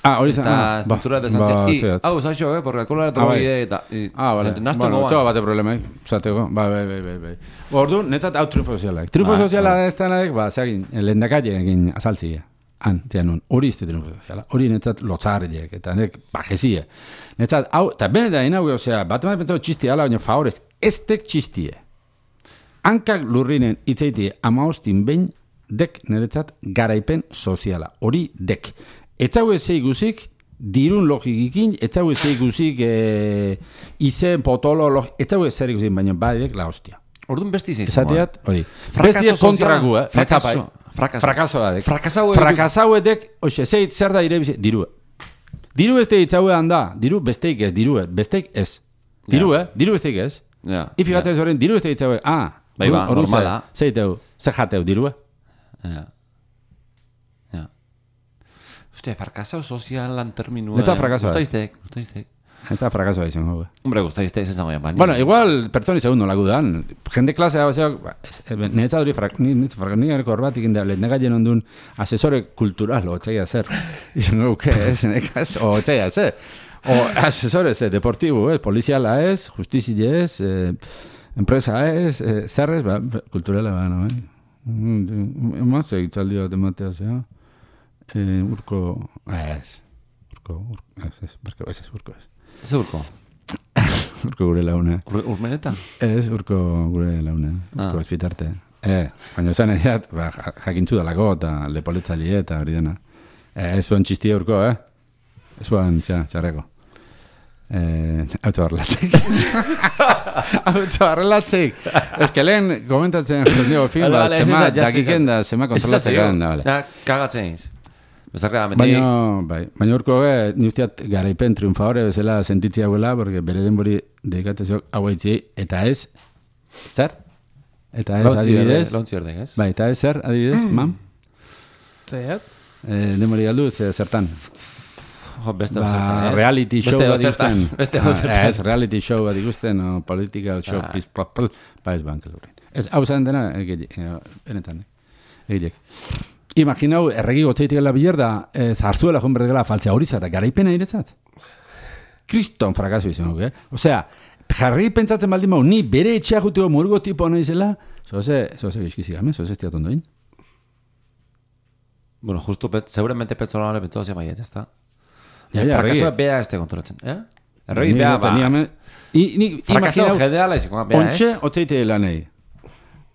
ah, hori zan. eta ah, ba, zentzulea de zantzian, ba, i, zehat. hau, zaixo, eh, porque alkola da Ah, bai. drogide, eta, i, Ah, vale. zenten, naztu Bueno, txoa goan. bate problema, zateko. Ba, bai, bai, bai, bai. Ordu, netzat hau triunfo sozialak. Triunfo Ba, soziala ba. ez denak, ba, zeagin, lendakaile egin azaltzia. Han, zean nun, hori izte triunfo soziala. Hori netzat lotzarriek, eta nek bajezie. Netzat, hau, eta benetan inau, osea, bat ematen pentsatu txistia ala, baina favorez, ez tek txistie. Hankak lurrinen itzaitie amaostin behin dek niretzat garaipen soziala. Hori dek. Etzau ez guzik, dirun logikikin, etzau ez guzik e, izen, potolo, log, etzau ez zer ikuzik, baina badek la hostia. Orduan besti zein. Esateat, hori. Frakaso Bestiet soziala. kontragu, eh? Frakaso. Netzapai. Frakaso. Frakaso da dek. Frakasau Frakasau edek, oxe, zeit zer da irebize, dirue. Diru beste itzauean da, diru besteik ez, dirue, besteik ez. Diru, eh? Diru besteik ez. Ja. Ifigatzen zoren, diru beste itzaue, ah, Bai ba, orduan ze- normala. Zeiteu, ze jateu, dirue? Ja. Ja. Hostia, frakasau sozialan terminua. Netza frakasoa. Gustaiztek, gustaiztek. Eta frakasoa izango, be. Hombre, gustaiztek, ez zango bani. Bueno, igual, pertsoni segundo lagu dan. Jende klasea, bazeak, ba, netza hori, frak, ni, ni, frak, ni gareko horbatik inda, lehenagaien ondun asesore kultural, o txaia zer. Izango, que ez, nekaz, o txaia zer. O asesore zer, deportibo, ez, poliziala ez, justizia ez, eh, enpresa ez, eh, zer ez, ba, kulturala, ba, no, eh? Emazte itzaldi bat ematea, zea. Eh, urko, ez. Urko, urko, ez, ez, urko, ez, ez, urko, ez. Ez urko? Urko gure laune. Ur, urmeneta? Ez, urko gure laune. Urko Ah. ez bitarte. Eh, baina esan egiat, ba, jakintzu dalako eta lepoletzaile eta hori dena. Eh, ez zuen txistia urko, eh? Ez zuen, txa, txarreko. Eh, Auto barrelatzik. Auto barrelatzik. Ez que lehen komentatzen jendeo film, Vale, ba, vale, zema ez ez, dakiken da, zema kontrolatzekan da, vale. Da, kagatzen iz. Bezarka, mendi... Baina, bai, baina urko ge, ni usteat garaipen triunfadore bezala sentitzia huela, porque bere denbori dedikatzezok hau haitzi, eta ez, zer? Eta ez, adibidez? Launtzi erdek, ez? Bai, eta ez zer, adibidez, mam? Zaiat? Eh, denbori galdu, ze zertan? Jo, beste Ba, zertan, ez? reality show Beste bat zertan, ikusten. beste Ah, zertan. Ez, reality show bat ikusten, o political show, Ah. pis, pl, pl, ba ez bank lurin. Ez, hau zan dena, egilek, benetan, egilek. Imaginau, erregi gotzeitikela bilerda, eh, zarzuela joan berdegela faltzea hori zata, garaipena iretzat. Kriston frakaso izan, eh? Osea, jarri pentsatzen baldin bau, ni bere etxea juteko murgo tipo hona izela, zoze, zoze gizkizik gamen, zoze estiat ondoin. Bueno, justo, pet, seguramente Petzolano le pentsau zia baiet, ez da? Ja, ja, Frakasoa erregi. bea este kontrolatzen, eh? Erregi Ni bea, zaten, ba... ni gamen- I- ni Frakaso imaginau, gedeala izango, bea, ontxe, ez? otzeite lanei.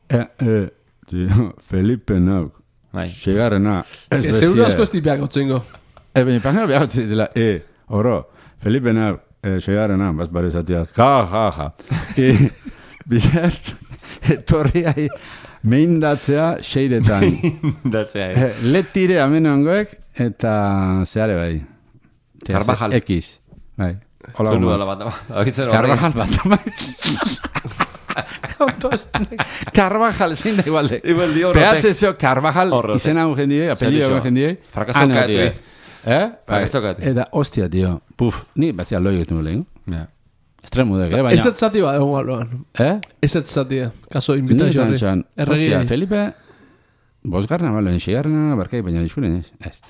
Eh, eh, tio, Felipe nauk. Bai. Segarrena. Que seguro asko ez tipeak otzengo. E, baina pangana behar otzi dela, e, oro, Felipe nauk, e, segarrena, baz bare zatea, ja, ja, ja. E, bizer, etorriai, meindatzea seiretan. Datzea, E, letire amenongoek, eta zeare bai. Tea, Carvajal. ze- Ekiz. Bai. Hola, Zonu goma. dela bat, agitzen Carvajal bat, amaiz. Carvajal, zein da igualde. Igual di horretek. Pehatze zeo Carvajal, Horretek. izena un jendie, apellido un jendie. Frakaso Ah, no, kaetu, tío. eh. Eh? Frakaso Bai. kaetu. Eta, hostia, tío. Puf, ni batzea loi egitu lehen. Ja. Estremudek, eh? Ez Baina, ez zati bat egon aloan. eh? Ez ez zati, kaso Ni invitazio esan horri. esan, Erregi. hostia, Felipe, bosgarna, bale, seigarrena, barkai, baina diskuren ez. Ez.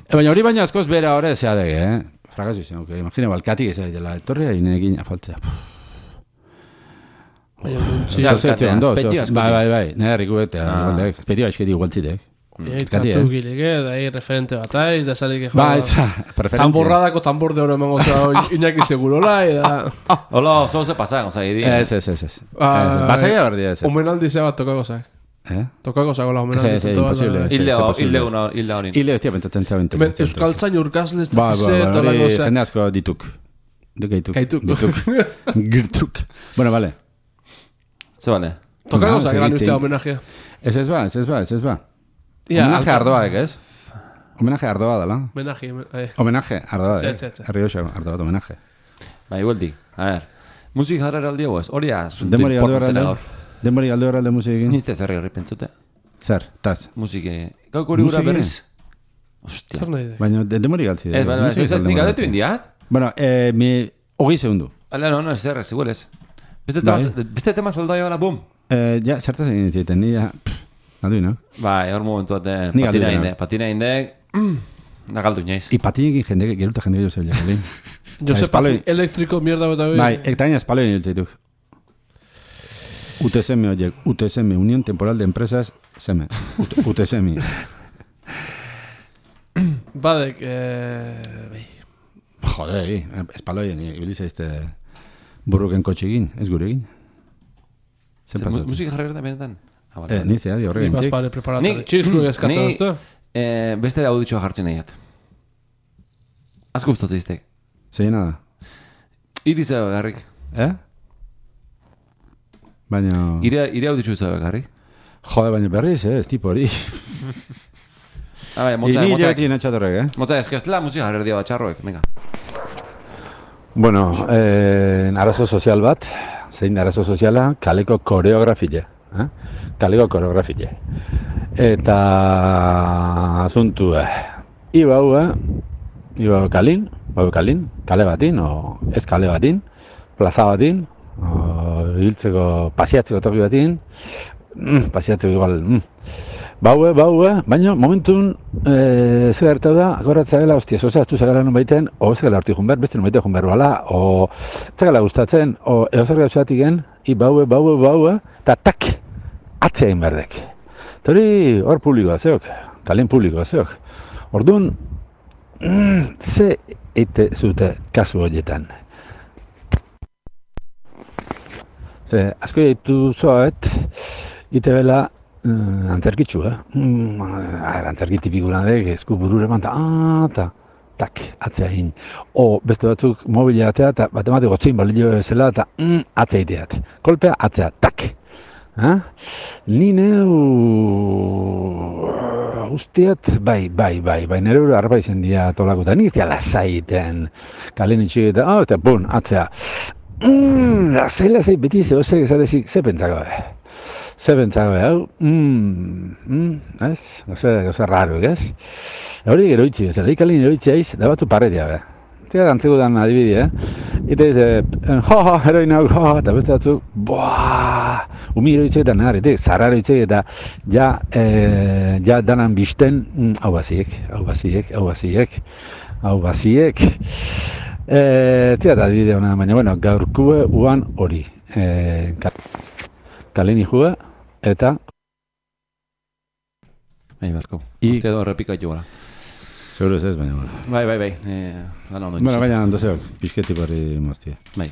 E, baina hori baina askoz bera hori zea dege, eh? Frakaso izan, ok, imagina, balkatik ez dela, etorria inekin afaltzea. Baina nuntzi. Osea, Zoze, alkatea, ondo, azpeiti, zoze. azpeiti. Bai, bai, bai, nire rikuetea, Ah. igualdek, espeti baixketi igualtzitek. Ei, Kati, tantu eh? gileke, da hi referente bat aiz, da salik ejo. Ba, ez, preferente. Tamborradako tambor de oro emango zera Iñaki Segurola, eta... Hola, oso ze pasan, oza, iri. Ez, ez, ez, ez. Ah, Basaia berdia ez. Omenaldi zea bat tokako zak. Eh? Tokako zako la Ez, omenaldi. ez, imposible. ez, Hilde ez, hor, posible. hilde una, hilde horin. Hile ez tia pentsatzen zaben. Hemen Euskaltzain urkazle ez Ba, ba, dakize, ba, eta hori lako zea. jende asko dituk. Du gaituk. Gaituk. Dituk. Girtuk. Bueno, vale. Ze bale? Tokako No, zak, ez eran egiten. ustea homenajea. Ez ez ba, ez ez ba, ez ez ba. Ia, Homenaje alka- ardoak, ez? Homenaje ardoa dela. Homenaje, eh. Homenaje ardoa, Txe, eh? txe, txe. Arrioxa ardoa, homenaje. Ba, igual di. A ver. Musik jarrera aldi hau ez? Hori az. Denbori galdu erralde. Denbori galdu erralde musikin. Nizte zerri horri pentsute. Zer, taz. Musike. Gauk hori gura Musike? berriz. Ostia. Zer nahi de? Baina de- denbori galtzi. Ez, bale, bale, ez ez nik galdetu indiat. Bueno, eh, mi... Hogei segundu. Bale, no, no, ez zerrez, igual ez. Beste Bai. tema, beste tema zaldai bala, bum. Eh, ja, zertaz egin ziten, ni ja... pff, Galdu, no? Bai, hor momentu baten Ni patina galdu inde, dena. patina inde, mm, da galdu inoiz. I patinekin jende, geruta jende jo zebilak, lehen. Jose espaloi- Pati, elektriko mierda bat Bai, eta gaina espaloen hiltzeituk. U T S M horiek, U T S M, Unión Temporal de Empresas, seme. U T S M. Badek, eh... bai. Jode, espaloien, ibilize este burruken kotxegin, ez guregin. Zer pasatzen? Musik jarrera da benetan? Ah, bale, Eh, bale. ni zea, di Ni horregen txik. bazpare preparatzen. Ni- Txizlu eskatzen ni- duztu. Eh, beste da auditxoa jartzen nahiat. Asko gustatzen iztek. Zeina da. Iri zebe garrik. Eh? Baina... Ire, ire auditxu zebe garrik. Jode, baina berriz, eh, ez tipo hori. Ah, bai, motza, Ni motza, joti natxatorrek, eh? motza, ez que ez dela musik jarrera dio txarroek, venga. Bueno, eh, arazo sozial bat, zein arazo soziala, kaleko koreografile. Eh? Kaleko koreografile. Eta asuntu, eh, iba hau, eh, iba kalin, iba kalin, kale batin, o ez kale batin, plaza batin, o hiltzeko, pasiatzeko toki batin, mm, pasiatzeko igual, mm. Baue, baue, baina momentun e, zer gertatu da, akorratza gela, ostia, zoza, aztu zagara non baiten, o ez gela horti junber, beste non baiten junber bala, o ez gela gustatzen, o eozer gauzatik gen, i baue, baue, baue, eta tak, atzea egin berdek. Eta hori hor publikoa zeok, kalien publikoa zeok. Orduan, mm, ze eite zute kasu horietan? Ze, asko ditu zoet, ite bela uh, antzerkitzu, eh? Mm, antzerki tipikuna dek, esku burure manta, ah, ta, tak, atzea hin. O, beste batzuk mobila atea, eta bat gotzein balio zela, eta mm, atzea iteat. Kolpea, atzea, tak. Ha? Ni neu usteat, bai, bai, bai, bai, nire hori arba izen dia tolakuta, nik ez dia lasaiten, kalen itxik eta, oh, eta, bun, atzea. Mm, lasai, lasai, beti ze, ose, esatezik, ze pentsako, eh? Ze pentsako, hau, mm, mm, ez? Goze, goze raro, ez? Hori gero itxik, ez, lehi kalen gero itxik, da batu parretia, be. Zega dantzeko dan adibidi, eh? Ite dize, jo, jo, heroin hau, jo, eta beste batzuk, boaa, umi eroitzek eta nahar, ite, zarra eroitzek eta ja, e, ja danan bizten, mm, hau baziek, hau baziek, hau baziek, hau baziek. E, Tira da adibide hona, baina, bueno, gaurkue uan hori. E, kaleni jue, eta... Bai, barko. I- Uste edo errepika joala. Seguro ez ez, baina, bueno. Bai, bai, bai. Eh, lan ondo. Bueno, baina, ondozeok, pixketi barri moztia. Bai.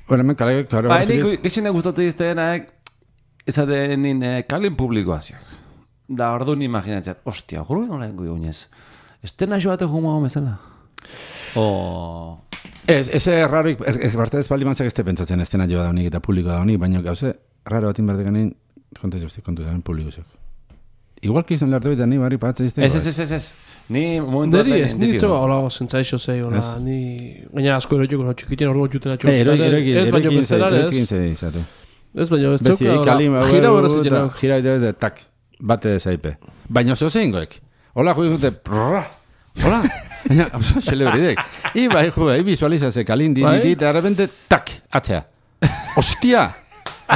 Bueno, hemen kale, kare Bai, nik gexene gustatu iztenak, ezaten nin eh, kalen publikoa ziak. Da, orduan imaginatzeat, ostia, guru nola ingo jounez. Estena joate jumua bezala. O... Ez, eze raroik, er, er, barte ez baldi mantzak ez te pentsatzen estena joa da honik eta publiko da honik, baina gauze, raro batin behar deganein, konta ez kontu zaren publiko zek. Igual que izan lehartu eta ni barri patzea izteko. Ez, ez, ez, ez, ez. Ni momentu Neri ez, ni txoa hola zentzaixo zei, hola, Ez. ni... Gaina asko erotxuko, no, txikiten orduan jutena txoa. Eh, eroi, eroi, Ez baino eroi, bestelar, eroi, ez. eroi, izate. Ez baino ez Besti, txoka, kalim, hola, gira berrez eta itxena. gira eta tak, bate zaipe. Baina oso zeingoek. Hola, jui dute, prrrra, hola, baina, oso xelebridek. I bai, jue, i visualizaze, kalin, di, Bai. di, di, eta arrepente, tak, atzea. Ostia!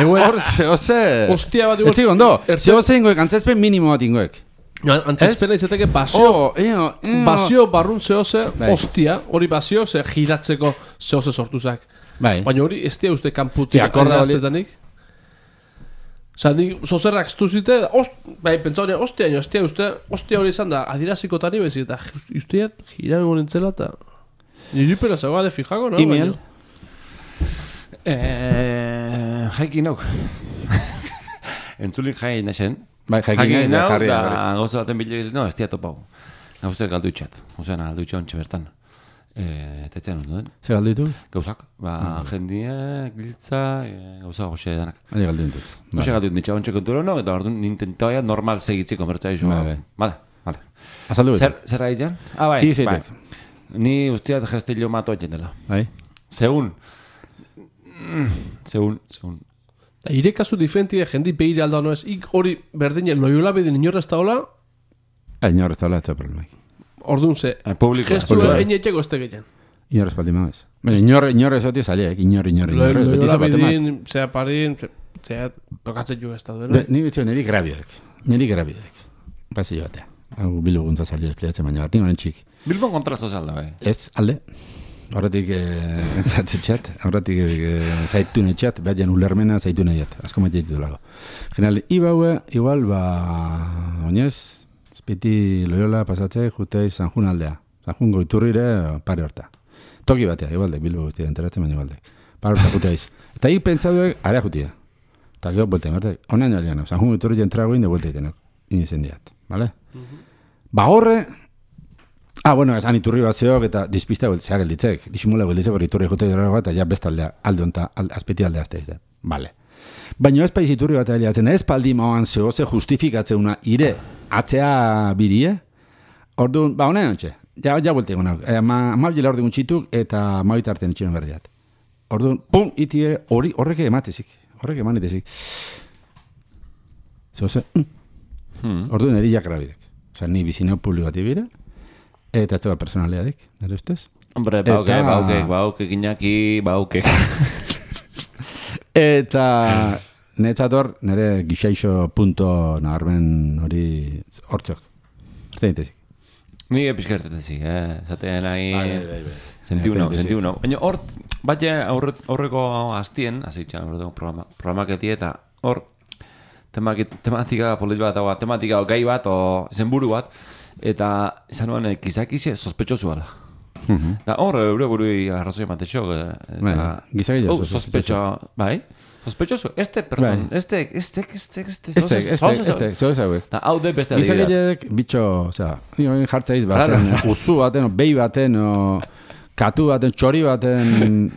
Egoen, Hor, ze, ose! Ostia bat igual- Ez ondo, Ertze- ze ose ingoek, antzezpen minimo bat ingoek. antzezpena izateke basio, Oh, eo, eo. basio barrun zehose, Bai. ostia, hori basio, ze giratzeko zehose sortuzak. Bai. Baina hori ez dia uste kanputik Ja, akorda hori- adieraztetanik. Osa, nik zozerrak ztuzite, ost, bai, pentsa hori, ostia, nio, ostia, uste, ostia hori izan da, adirazikotan ibezik, eta usteat, jirago nintzela, eta niri pera zegoa de fijako, no? Email. Baina- Eh, jaikin nauk. Entzulik jai nesen. Bai, jaikin nahi, nau, jarri da berriz. gauza baten bilo, no, ez dia topau. Gauzte galdu itxat. Ozean, galdu itxat ontsi bertan. Eh, eta etzen ondo den. Zer galdu ditu? Gauzak, ba, jendie, glitza, eh, gauza goxe danak. Baina galdu ditu. Goxe galdu ditxe ontsi konturo, no, eta orduan nintentaia normal segitziko mertza iso. Bai, bai. Vale, vale. Azaldu Zer, bitu. zer haitan? Ah, bai, Izeitek. bai. Ni usteat gestillo mato dela. Bai. Segun. Mm, Segun, segun. Da, ire kasu diferentia jendi behire alda no ez, ik hori berdinen loiola bedin inorrez taola, Inor ez da ez da problemai. orduan ze, Eh, publikoa. gestu publikoa. egin etxeko ez tegeian. Inor ez baldi maiz. Baina inor, inor ez oti zaliek, inor, inor, inor. Beti Loiola zapate mat. bedin, zea parin, ze- zea tokatzen jo ez da, Be, dena. Ni betxo niri grabiodek. Niri grabiodek. Pasi joatea. Hau biluguntza salio espliatzen, baina ni honen txik. Bilbon kontra sozialda, bai. Ez, alde. Horretik eh, zatzetxat, horretik eh, zaitun etxat, behar jan ulermena zaitun ediat, asko maite ditu lago. General, ibaue, igual, ba, oinez, espiti loiola pasatze, jutei Sanjun aldea. Sanjun goiturrire pare horta. Toki batea, igualdek, bilbo guztia enteratzen, baina igualdek. Pare horta juteiz. Eta hik pentsaduek, area jutia. Eta gero, buelten, bertek, onaino aliano, Sanjun goiturri entrago inde buelta itenok, inizen diat, vale? Ba horre, ah, bueno, esan iturri bat zeok eta dizpista beltzea gelditzek. Disimula gelditzek hori iturri jote dira bat, eta ja bestaldea, alde onta, al, azpeti aldea azte izan. Vale. Baina ez paiz iturri bat heliatzen, ez paldi mauan zehoze justifikatzeuna ire atzea birie, orduan, ba, honen ontxe, ja, ja buelte egon hau. E, ma, ma bila orduan txituk eta ma bitarten itxeron berdiat. Orduan, pum, iti ere, hori, horrek ematezik, horrek emanitezik. Zehoze, mm. Hmm. Orduan, eri jakrabidek. Osa, ni bizineo publikati bire, eta ez da personaleadik, nire ustez. Hombre, bauke, Eta- bauke, bauke, gineaki, bauke. Eta netzator, nire gixaixo punto nabarmen hori hortzok. Hortzen ditezik. Ni epizkertetezik, eh? Zaten nahi... bai. Sentiuno, Bai, sentiuno. Baina hor, bat aurreko hastien, azitxan, aurreko programa, programak eti eta hor, temaki- tematika polit bat, o, tematika o, gai bat, o zenburu bat, Eta izan nuen gizakixe sospetxosu ala. Mhm. Da hor, eure burui arrazoi ematexo. Bai, gizakile Oh, sospecho, bai. Sospechoso, este, perdón, Bai. este, este, este, este, Este, este, este, zeu ezauek. Da, hau de beste adibidea. Gizakileek, bitxo, osea, nioen jartzaiz, bazen, uzu baten, o behi baten, o katu baten, txori baten,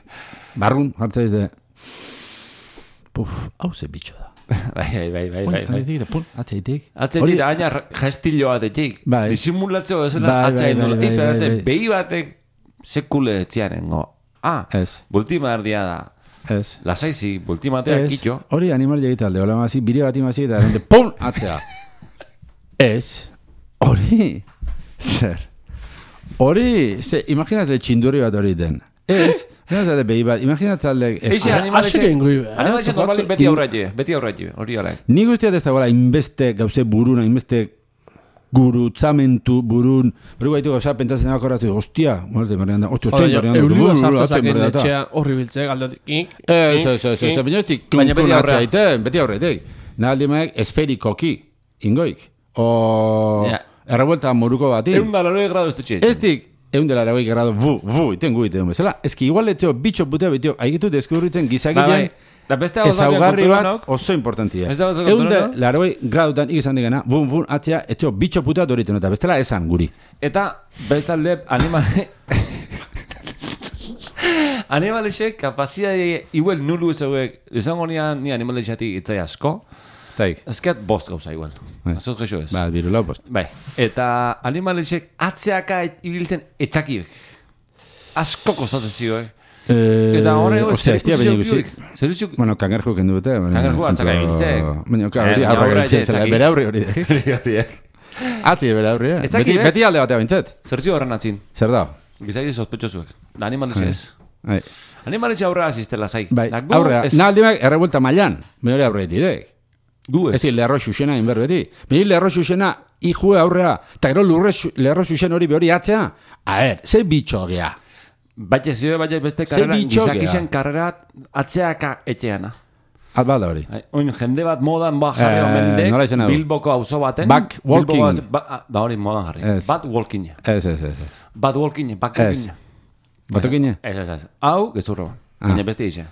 barrun jartzaiz de, puf, hau ze bitxo da. Bai, bai, bai, bai, Pun, bai. atzetik, da, pun, atzeitik. Atzetik da, aina gestilloa atetik. Bai. Disimulatzeo ez da, Bai, bai, atzain bai, dut. bai, Ipe, bai, atzain, bai. behi batek sekule etziarengo. Ah, Ez, bultima erdia da. ez. Lasaizi, bultimatea Ez, kitxo. hori animal egite alde, hola mazi, bire bat imazi, eta de pum, atzea. Ez, hori, zer, hori, ze, imaginate txindurri bat hori den. Ez, imaginate behi bat, imaginate alde... ez- Eixe, animalixe, Asik egin goi, eh? animalixe normalik beti In- aurratxe, beti aurratxe, hori ala. Ni guztiat ez dagoela, inbeste gauze buruna, inbeste gurutzamentu burun, beru gaitu gauza, pentsatzen dago korratzen, ostia, muerte, berrean da, ostia, ostia, berrean da, Eulibua ostia, sartzazaken berrean da. etxea horri biltzea, galdatik. Ez, ez, ez, ez, baina ez dik, Baina beti aurrea. aiten, beti aurretik. Naldi maek esferikoki, ingoik. O, Ja. errebuelta moruko bati. Egun da laro grado ez dutxe. Ez dik, egun dela eragoi grado, bu, bu, iten gu iten bezala. Ez ki igual etzeo bitxo putea betio, haigetu deskubritzen Bai, gizakilean, bai. Da beste hau ezaugarri bat konturanok. oso importantia. Ez da oso Egun de, konturanok. laroi gradutan ikizan digena, bun, bun, atzea, etxeo bitxo putea doriten, eta bestela esan guri. Eta bestalde animale animalexek kapazidade igual nulu ezauek izango nian ni animalexatik itzai asko. Ez daik. Ezkeat bost gauza igual. Bai. Azot gexo ez. Ba, biru lau post. Bai. Eta animalexek atzeaka et- ibiltzen etxakiek. Asko kostatzen zioek. Eh, Eta horre ostia, ez dira baina ikusi. Zeruzik. Bueno, kangerjo kendu dute. baina, Kangerjo atzaka ejemplo, ibiltzek. Baina, claro, Eh, hori aurra aurra ibiltzen ere zela, etzaki. bere aurri hori. Atzi, bere aurri, eh? Ez dakit, Beti, eh? beti alde batea bintzet. Zertzio horren atzin. Zer da? Gizaki sospetxozuek. Da animalexe ez. Bai, Animalexe aurrera aziztela zai. bai. Da gu aurrea. ez- Na aldimak errebuelta mailan. Me hori aurre direk. Gu Ez ez. di lerro xuxena inber beti. Me lerro xuxena ijue aurrea. Ta gero lurre xu- lerro xuxen hori behori atzea. A er, ze bitxo gea. Baina zio, baina beste Ze karrera, bitxo gizakixen gea. karrera atzeaka etxeana. At balda hori. Ai, Oin jende bat modan ba jarri Eh, omendek, nola izena du? Bilboko auzo baten. Back walking. Bilboko auzo- ba, ah, ba hori modan jarri. Ez. Bat walking. Ez, ez, ez. ez. Bat walking, back Ez. walking. Batokine? Ez, ez, ez. Hau, gezurro. Ah. Baina beste ixe.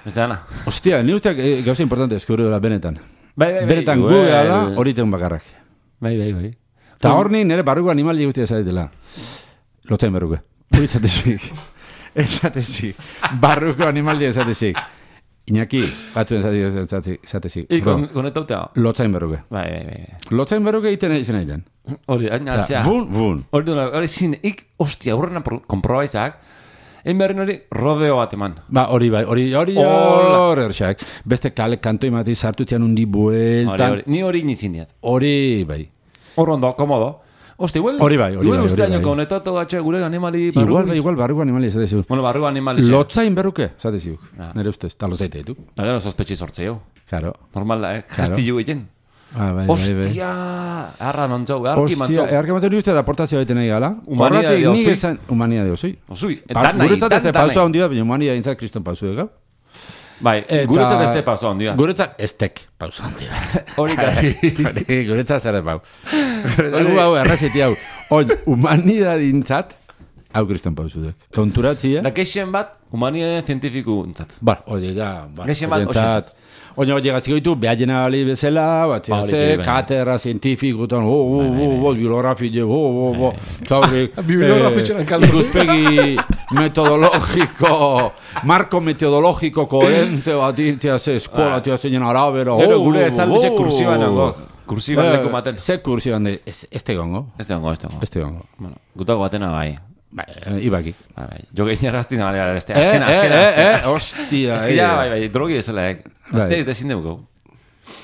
Beste dana. Ostia, ni usteak eh, gauza importante eskubri dela benetan. Bai, bai, bai. Benetan gu Well. gehala hori teun bakarrak. Bai, bai, bai. Ta hor ni nire barruko animali guztia zaretela. Lotzen barruko. Hori zatezik. Ezatezik. Barruko animali ezatezik. Iñaki, batzuen zatezik. zatezik. I, Bro, kon, konetautea. Lotzain barruko. Bai, bai, bai. Lotzain barruko egiten izan egiten. Hori, hain atzea. Bun, bun. Hori duna, hori zin, ik, ostia, hurrena komprobaizak, egin berrin hori rodeo bat eman. Ba, hori bai, hori, hori, Hola. hori, erxak. Beste kale kanto imati sartu zian undi Hori, bueltan. hori, ni hori nintzin diat. Hori, bai. Hor ondo, komodo. Ostia, igual, Hori bai, hori igual bai, uste hori bai. añoko honetatu gatxe gure animali barru. Igual, bai, igual, barruko animali ezatezik. Bueno, barru animali. Lotzain barruke, ezatezik. Ah. Nere ustez, ta lotzaite ditu. Da gero sospetxi sortzeo. Claro. Normal da, eh? Claro. Gestillu egiten. Ah, bai, bai, bai. Ostia, harra mantzau, harki Ostia, mantzau. eharke maten ni uste da aportazio baiten nahi gala. Humanidade Horregatik nik osui. esan, humanidade osui. Osui, Pa, dan nahi, guretzat ez dan de dan pausua nahi. handi da, baina humanidade intzat kriston pausu egau. Bai, guretzat ez de pausa ondia. Guretzat ez tek pausu handi da. Hori gari. Hori, guretzat zer ez bau. Guretzat gu hau errazeti hau. Oin, humanidade intzat, hau kriston pausu dek. Konturatzia. Da keixen bat, humanidade zientifiku entzat. Ba, hori da. Ba, Gehien bat, horientzat. Oina hori gaziko ditu, behagena bali bezala, bat Hori, ze, bai. katera, zientifikutan, oh, oh, oh, oh, bibliografie, oh, oh, oh, zaurri, Bibliografitxeran kaldu. ikuspegi metodologiko, marko metodologiko koherente bat intzia ze, eskola tia zeinen arabera, Gero oh, gure oh, esaldize oh. kursiban nango. Kursiban leku maten. Ze kursiban de, ez ez tegongo, Ez da hongo, ez da hongo. ez tegongo. Bueno, gutago batena bai. Ba, eh, ibaki. Bai, bai. Jo gehin erraztin gali gara, este. Eh, Azkena, eh, azkena. eh, azkena, eh, azkena. hostia, Ez que ja, eh. bai, bai, drogi ezela, eh. Bai. Azte ez dezin dugu.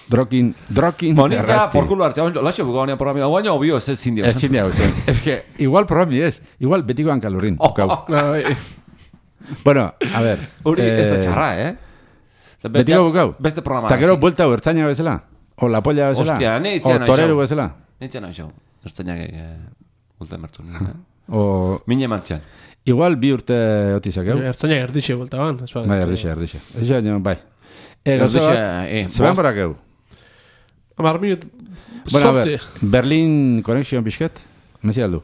Drokin, drokin Monika, errasti. por culo hartzea, laxo buka honean programia, guaino obio ez ez zindio. Ez zindia zen. Ez que, igual programi ez. Igual betiko hankalurrin. Oh, Kau. Bai. Bueno, a ver. Hori ez da eh, txarra, eh? Eta be- Betiko ja, bukau. Beste programa. Ta gero buelta hau ertzaina bezala. O la polla bezala. Hostia, ni O itxean torero nahi bezala. Nintzen hau xau. Ertzainak ulta emertzun. O Mine mantxan. igual bi urte otizak hau. Ertzaina erdixe bolta ban. ez ba- Bai, erdixe, erdixe. Ez joan, bai. E, gauza Erdixe, bat, eh, zeben bost. barak hau. Hamar minut. Bueno, a Sortzi. ver, Berlin Connection pixket. mezi aldu.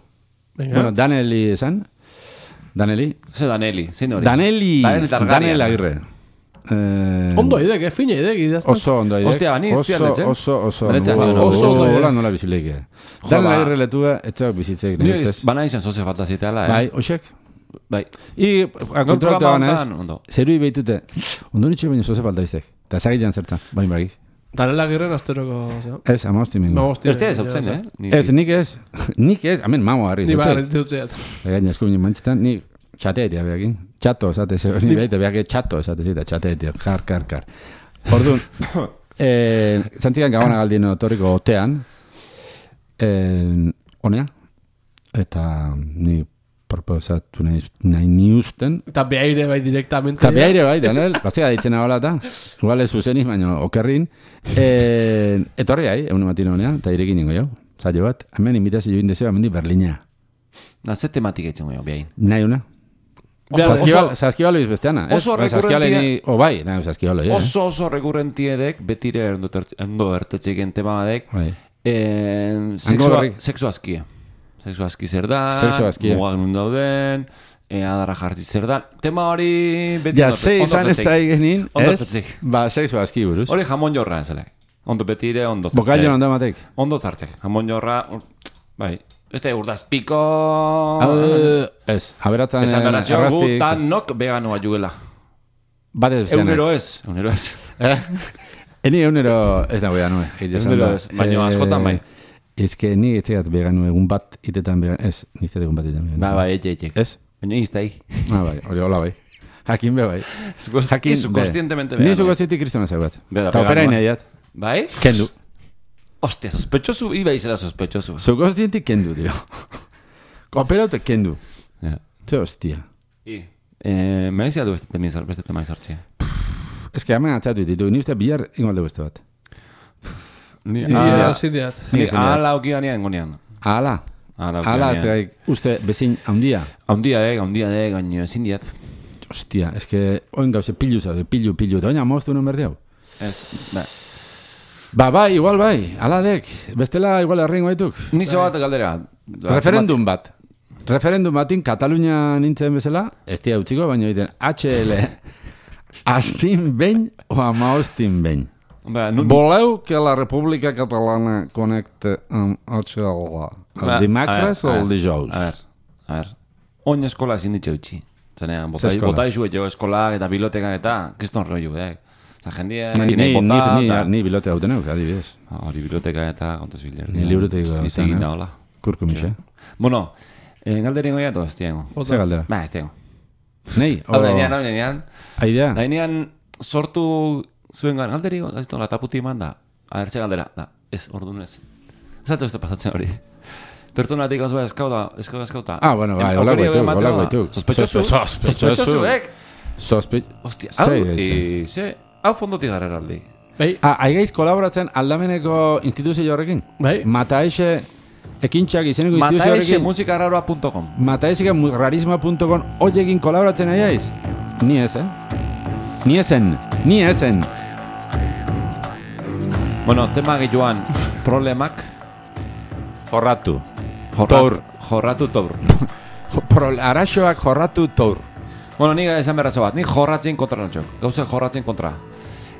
Venga. Bueno, Daneli esan. Daneli. Ze Daneli, zein hori? Daneli. Daneli Targaryen. Danel Agirre. Eh, Ondo idek, eh? Fina idek, idazten. Oso ondo aidek. Ostia, bani iztian Oso, etxe? oso, oso. Benetzen oso, zuen, oso, oso ondo aidek. hola nola bizileike. Jo, Danel ba. Agirre letua, etxeak bizitzeik. Ni nire ustez. bana izan zoze falta ziteala, eh? Bai, oixek. Bai. I, kontratu programa ganez, hontan, ondo. zerui behitute, ondo nitxe baino zoze falta iztek. Eta zagilean zertan, bain bagi. Danela Agirren asteroko, zera. Ez, amaosti mingo. Magosti. Este ez hautzen, eh? Ni- Ez, nik ez, nik ez, hemen mamo harri. Ni bagarri dutzeat. Gaina eskumin mantzitan, ni txateetia behakin. Txato, esate, ze hori behite, behake txato, esate zita, txateetia, kar, kar, kar. Orduan, eh, zantzikan gabana galdien otorriko otean, eh, honea, eta ni proposatu nahi, nahi ni usten, Eta behaire bai direktamente. eta behaire bai, Daniel, bazia ditzen hola eta, igual ez zuzeniz, baina okerrin, eh, etorri hai, egun ematin honea, eta irekin ningo jau, zailo bat, hemen invitazio join deseo, hemen di Berlina. Na, ze tematik eitzen goio, behain. Nahi una. Oso- Saskibalo, saskibalo izbesteana. ez? oso Bai, saskibalo rekurrentia- ni, o bai, nahi, saskibalo, ja. Oso oso rekurrentiedek, betire ondo tertz- ondo ertetxeken tema badek, Bai. eh, Hango sexua, berri- sexu askie. Sexu aski zer da, Sexu askia. mugak nun dauden, e, adarra jartzi zer da. Tema hori beti Ja, ondo- ze ondo izan ez tertzik. da egenin, Ondo ez? tertzik. Ba, sexu aski buruz. Hori jamon jorra ezalek. Ondo betire, ondo zartzek. Bokailo ondo ematek. Ondo zartzek. Jamon jorra, ur- bai. Este urdazpiko... Hau, ez, aberatzen Esan berazio, gu arrastik, tanok veganua juela. bat ez besteana. Egunero ez, egunero ez. Eh? Eni egunero ez da behan, nue. Egunero ez, baina askotan bai. Ez que ni etxeat beganu egun bat itetan began, ez, niztet egun bat itetan began. Ba, bai, etxe, etxe. Ez? Baina iztai. Ah, bai, hori hola bai. Jakin be bai. Jakin Izu be. konstientemente Ni vegano. zuko zitik kristona zeu bat. Beda, Eta opera veganua. inaiat. Bai? Kendu. Hostia, sospechoso, iba izela sospechoso. Zuko zitik kendu, dio. Opera te kendu. Ja. Ze hostia. I. Eh, me decía du beste tema izar, beste tema izartzia. Ez que hemen atzatu ditu, ni uste bihar ingo beste bat. Ni Ni ah, zindiat. ni Ni zindiat. ala okianean gonean. Ala. Ala Ala, ez okianean. da, uste bezin handia. Haundia dek, haundia dek, gaino ezin diat. Hostia, ez que oin gauze pilu zaude, pilu, pilu. Eta oina moztu non berdi hau. Ez, ba. Ba, bai, igual bai, ala dek. Bestela igual erringo baituk. Nizo bat galdera. Referendum bat. Referendum batin Katalunia nintzen bezala, ez tia utziko, baina egiten H L astin behin o amaostin behin. Ba, nun... Voleu que la República Catalana connecte amb H L Ba, el dimecres a o ver, el dijous? A ver, a ver. Oin eskola ezin ditxe utxi. Zanean, Ze eskola? bota izu etxo eskolak eta bilotekak eta, kriston rollo, eh? Zan jendia, Ni, ni, nahi ni, bota, ni, eta... ni bilote hauten euk, adibidez. Ah, Hori biloteka eta kontuz biler. Ni liburutegi Ez gauzean, egin eh? da, hola. Kurku mixe. Bueno, eh, galderin goia toz, tiengo. Ze galdera? Ba, ez tiengo. Nei, Hau o... dainean, hau dainean. Aidea? Dainean sortu zuen gan, galderi, ez la taputi eman da. A ber, ze galdera, da, ez, orduan ez. Ez atu ez da pasatzen hori. Pertsonatik hau eskauta, eskauta, eskauta. Ah, bueno, bai, hola guaituk, hola guaituk. Sospechoso, Sospechoso. sospechoso, eh? Sospe... Hostia, hau, Zei e, gaitzen. ze, hau fondotik gara aldi. Bai, Ah, aigaiz kolaboratzen aldameneko instituzio horrekin? bai. Mataexe ekintxak izeneko instituzio Mataexe horrekin? musikaarraroa punto com. Mataexe rarisma punto com oiekin kolaboratzen aiaiz? Ni ez, eh? Ni ezen, ni ezen. Bueno, tema gehioan, problemak. Jorratu. Jorratu, Tour. jorratu tour. Pro, araxoak jorratu tour. Bueno, ni esan berrazo bat, ni jorratzen kontra notxok. Gauzek jorratzen kontra.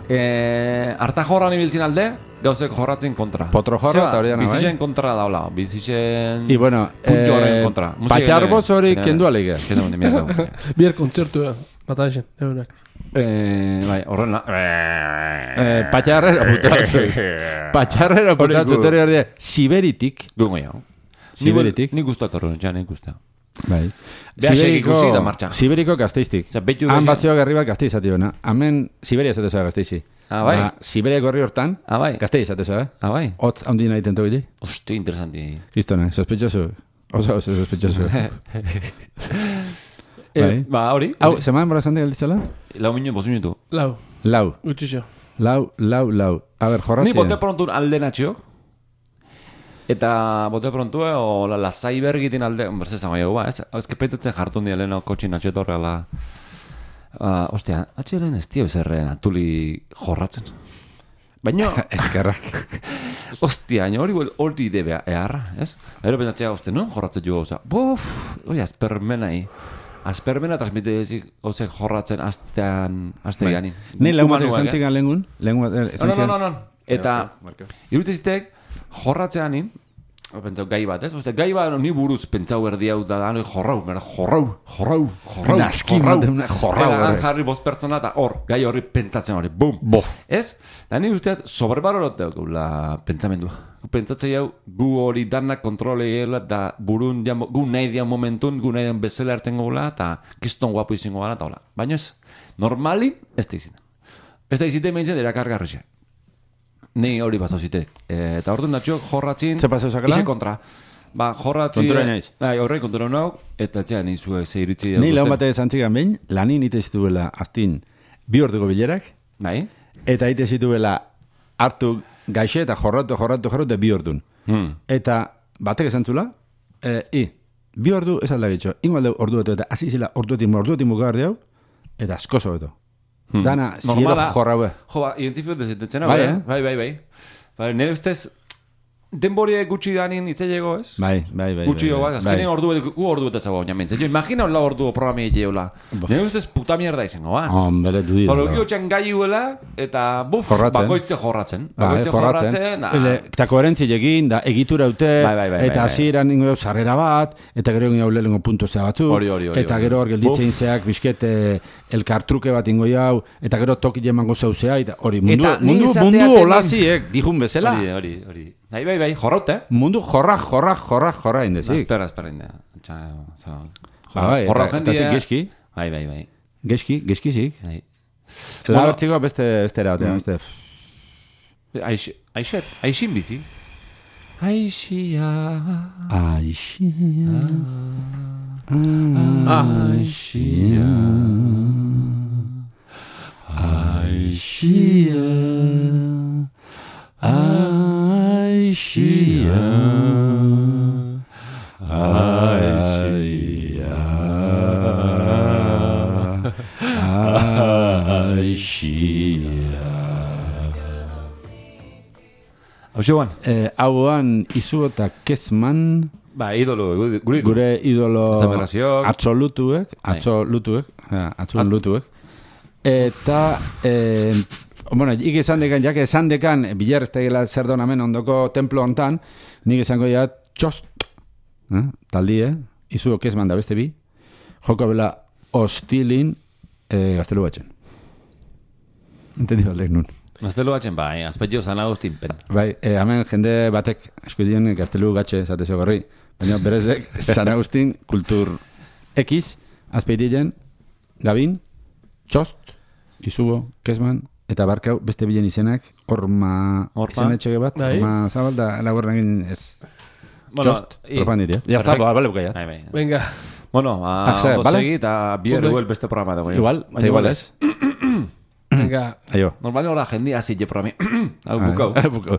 Eh, harta jorran ibiltzen alde, gauzek jorratzen kontra. Potro jorra Zeba, eta hori dana, bai? Bizitzen kontra daula, bizitzen... I bueno, puntu horren eh, kontra. Musika patxarboz ere- hori ere- kendu alige. Kendu ande mierda. Bier kontzertu, bata esen, eurak. Eh, bai, horrela. Eh, patxarrera putatzu. Patxarrera putatzu, tori hori de, Siberitik. Gungo jau. Siberitik. Ni guztu atorren, ja, ni guztu. Bai. Behaxek ikusi da martxa. Siberiko gazteiztik. Osea, behitu Han behitu- bazioak herri bat gazteiz zati bena. Hemen Siberia esate zoa gazteizi. Ah, bai? Ba, Siberiako herri hortan, Ah, bai. gazteiz esate zoa. Ah, bai. Hotz handi nahi tentu gile. Hostia, interesanti. Listona, sospechoso. Oso, oso sospechoso. Eh, Bai. ba, hori. Hau, seman brazante galditzala? Lau minu, bost minutu. Lau, Lau, gutxixo. lau, lau, lau. A ber, Ni jorratzen. bote prontu alde natxio. Eta bote prontu, eh, o la, la zaibergitin alde, berze zango jau, ba, ez? Hau, ez kepetetzen jartun dira leheno kotxin natxio etorrela. Uh, ostia, atxeren ez tio zerren atuli jorratzen. Baina, Eskerrak. ostia, baina hori hori debea, eharra, ez? Ero pentsatzea gozte, no? Jorratzen jo gauza. Buf, oi, azpermenai. Azpermena transmite ezik, ozek jorratzen astean, aste ganin. Nei lehun batek zantzikan lehengun? Lehun batek No, no, no, no. Eta, irutzezitek, jorratzean nin, pentsau gai bat, ez? Oste, gai bat ni buruz pentsau erdi hau da, da jorrau, mera, jorrau, jorrau, jorrau, Naskin jorrau, baten una jorrau. Eta han jarri bost pertsona eta hor, gai horri pentsatzen hori, bum. Bo. Ez? Da ni usteat, sobrebalorot daukula pentsamendua. Pentsatzei hau, gu hori danak kontrole gela, da burun, jamo, gu nahi dian momentun, gu nahi dian bezala ertengo gula, eta kiston guapo izango gara, eta hola. Baina ez, normalin, ez da iziten. Ez da iziten behintzen, erakargarrixe. Ni hori pasau zite. E, eta orduan datxok jorratzin... Ze pasau zakela? Ize kontra. Ba, jorratzin... Kontura naiz. Bai, horre kontura nau, eta etxean nizue ze iritzi... Nei lehun batek zantzikan behin, lanin ite zituela aztin bi orduko bilerak, Bai? eta ite zituela hartu gaixe eta jorratu, jorratu, jorratu, bi ordun. Hmm. Eta batek esan zula, e, i, bi ordu ez alda bitxo, ingo alde ordu beto, eta hasi zela orduetik, orduetik mugar diau, eta askoso beto. Hmm. Dana, ziero jorraue. Jo, ba, identifio dezetetzen, Bai, bai, eh? bai, bai, bai. Bai, nire ustez, denborie gutxi danin itzailego, ez? Bai, bai, bai. Gutxi jo, bai, bai, azkenean ordu, gu ordu eta zago, namentze. Jo, imagina hola ordu programi egeola. Nire ustez puta mierda izango, ba. Hombre, du dira. Horo, giotxan gai huela, eta buf, Jorratzen. bakoitze jorratzen. Bai, Bakoitze jorratzen. ah. Ele, eta koherentzi egin, da egitura dute, Bai, bai, bai, eta bai, bai. hasieran ingo dau sarrera bat, eta gero ingo lehengo puntu zea batzu, Hori, hori, hori, eta hori. gero hor gelditzein zeak bisket eh, elkartruke bat ingo jau, eta gero toki emango zauzea, eta hori, mundu, Eta ni mundu, esatea mundu temen- olaziek, dijun bezala. Hori, hori, hori. Bai, bai, bai, jorraute, eh? Mundu jorra, jorra, jorra, jorra indezik. Espera, espera, inda. Txa, za... Ba, bai, jorra eta- eta zik geski, Bai, bai, bai. geski, geskizik. bai. Labertziko beste, beste erabatea, beste. Aix, aixet, aixin bizi. Aixia... Aixia, Aixia... Aixia, Aixia, Aixia. Hau xeuan? Eh, hauan izu eta kezman Ba, idolo, gure gure gure idolo Zamerrazioak. atxolutuek, atxolutuek, eh, atxolutuek. Eta, eh, bueno, ik esan dekan, jak esan dekan, bilar ez tegela zer don hemen ondoko templo hontan, nik esango ja txost, eh, taldie, izu kezman da beste bi, joko bela hostilin eh, gaztelu batxen. Entendi baldek nun. Gaztelu batzen, bai, azpetio zan agustin pen. Bai, eh, hemen jende batek eskudien gaztelu gatxe zatezio gorri, baina berezdek San Agustin kultur X, azpeitien, Gabin, Txost, Izugo, Kezman, eta barkau beste bilen izenak, Orma, Orma. izan etxege bat, Bai. Orma zabal da laburren egin ez. Bueno, Txost, i- propanditia. Ya está, perfecto. bale bukaiat. Bai, bai. Venga. Bueno, Ah, a ze, ondo bale? segi eta bier Ondo. huel beste programa dago. Igual, eta igual ez. Venga. Aio. Normal hora jendia hasi je programi. Hau Ah, bukau. bukau.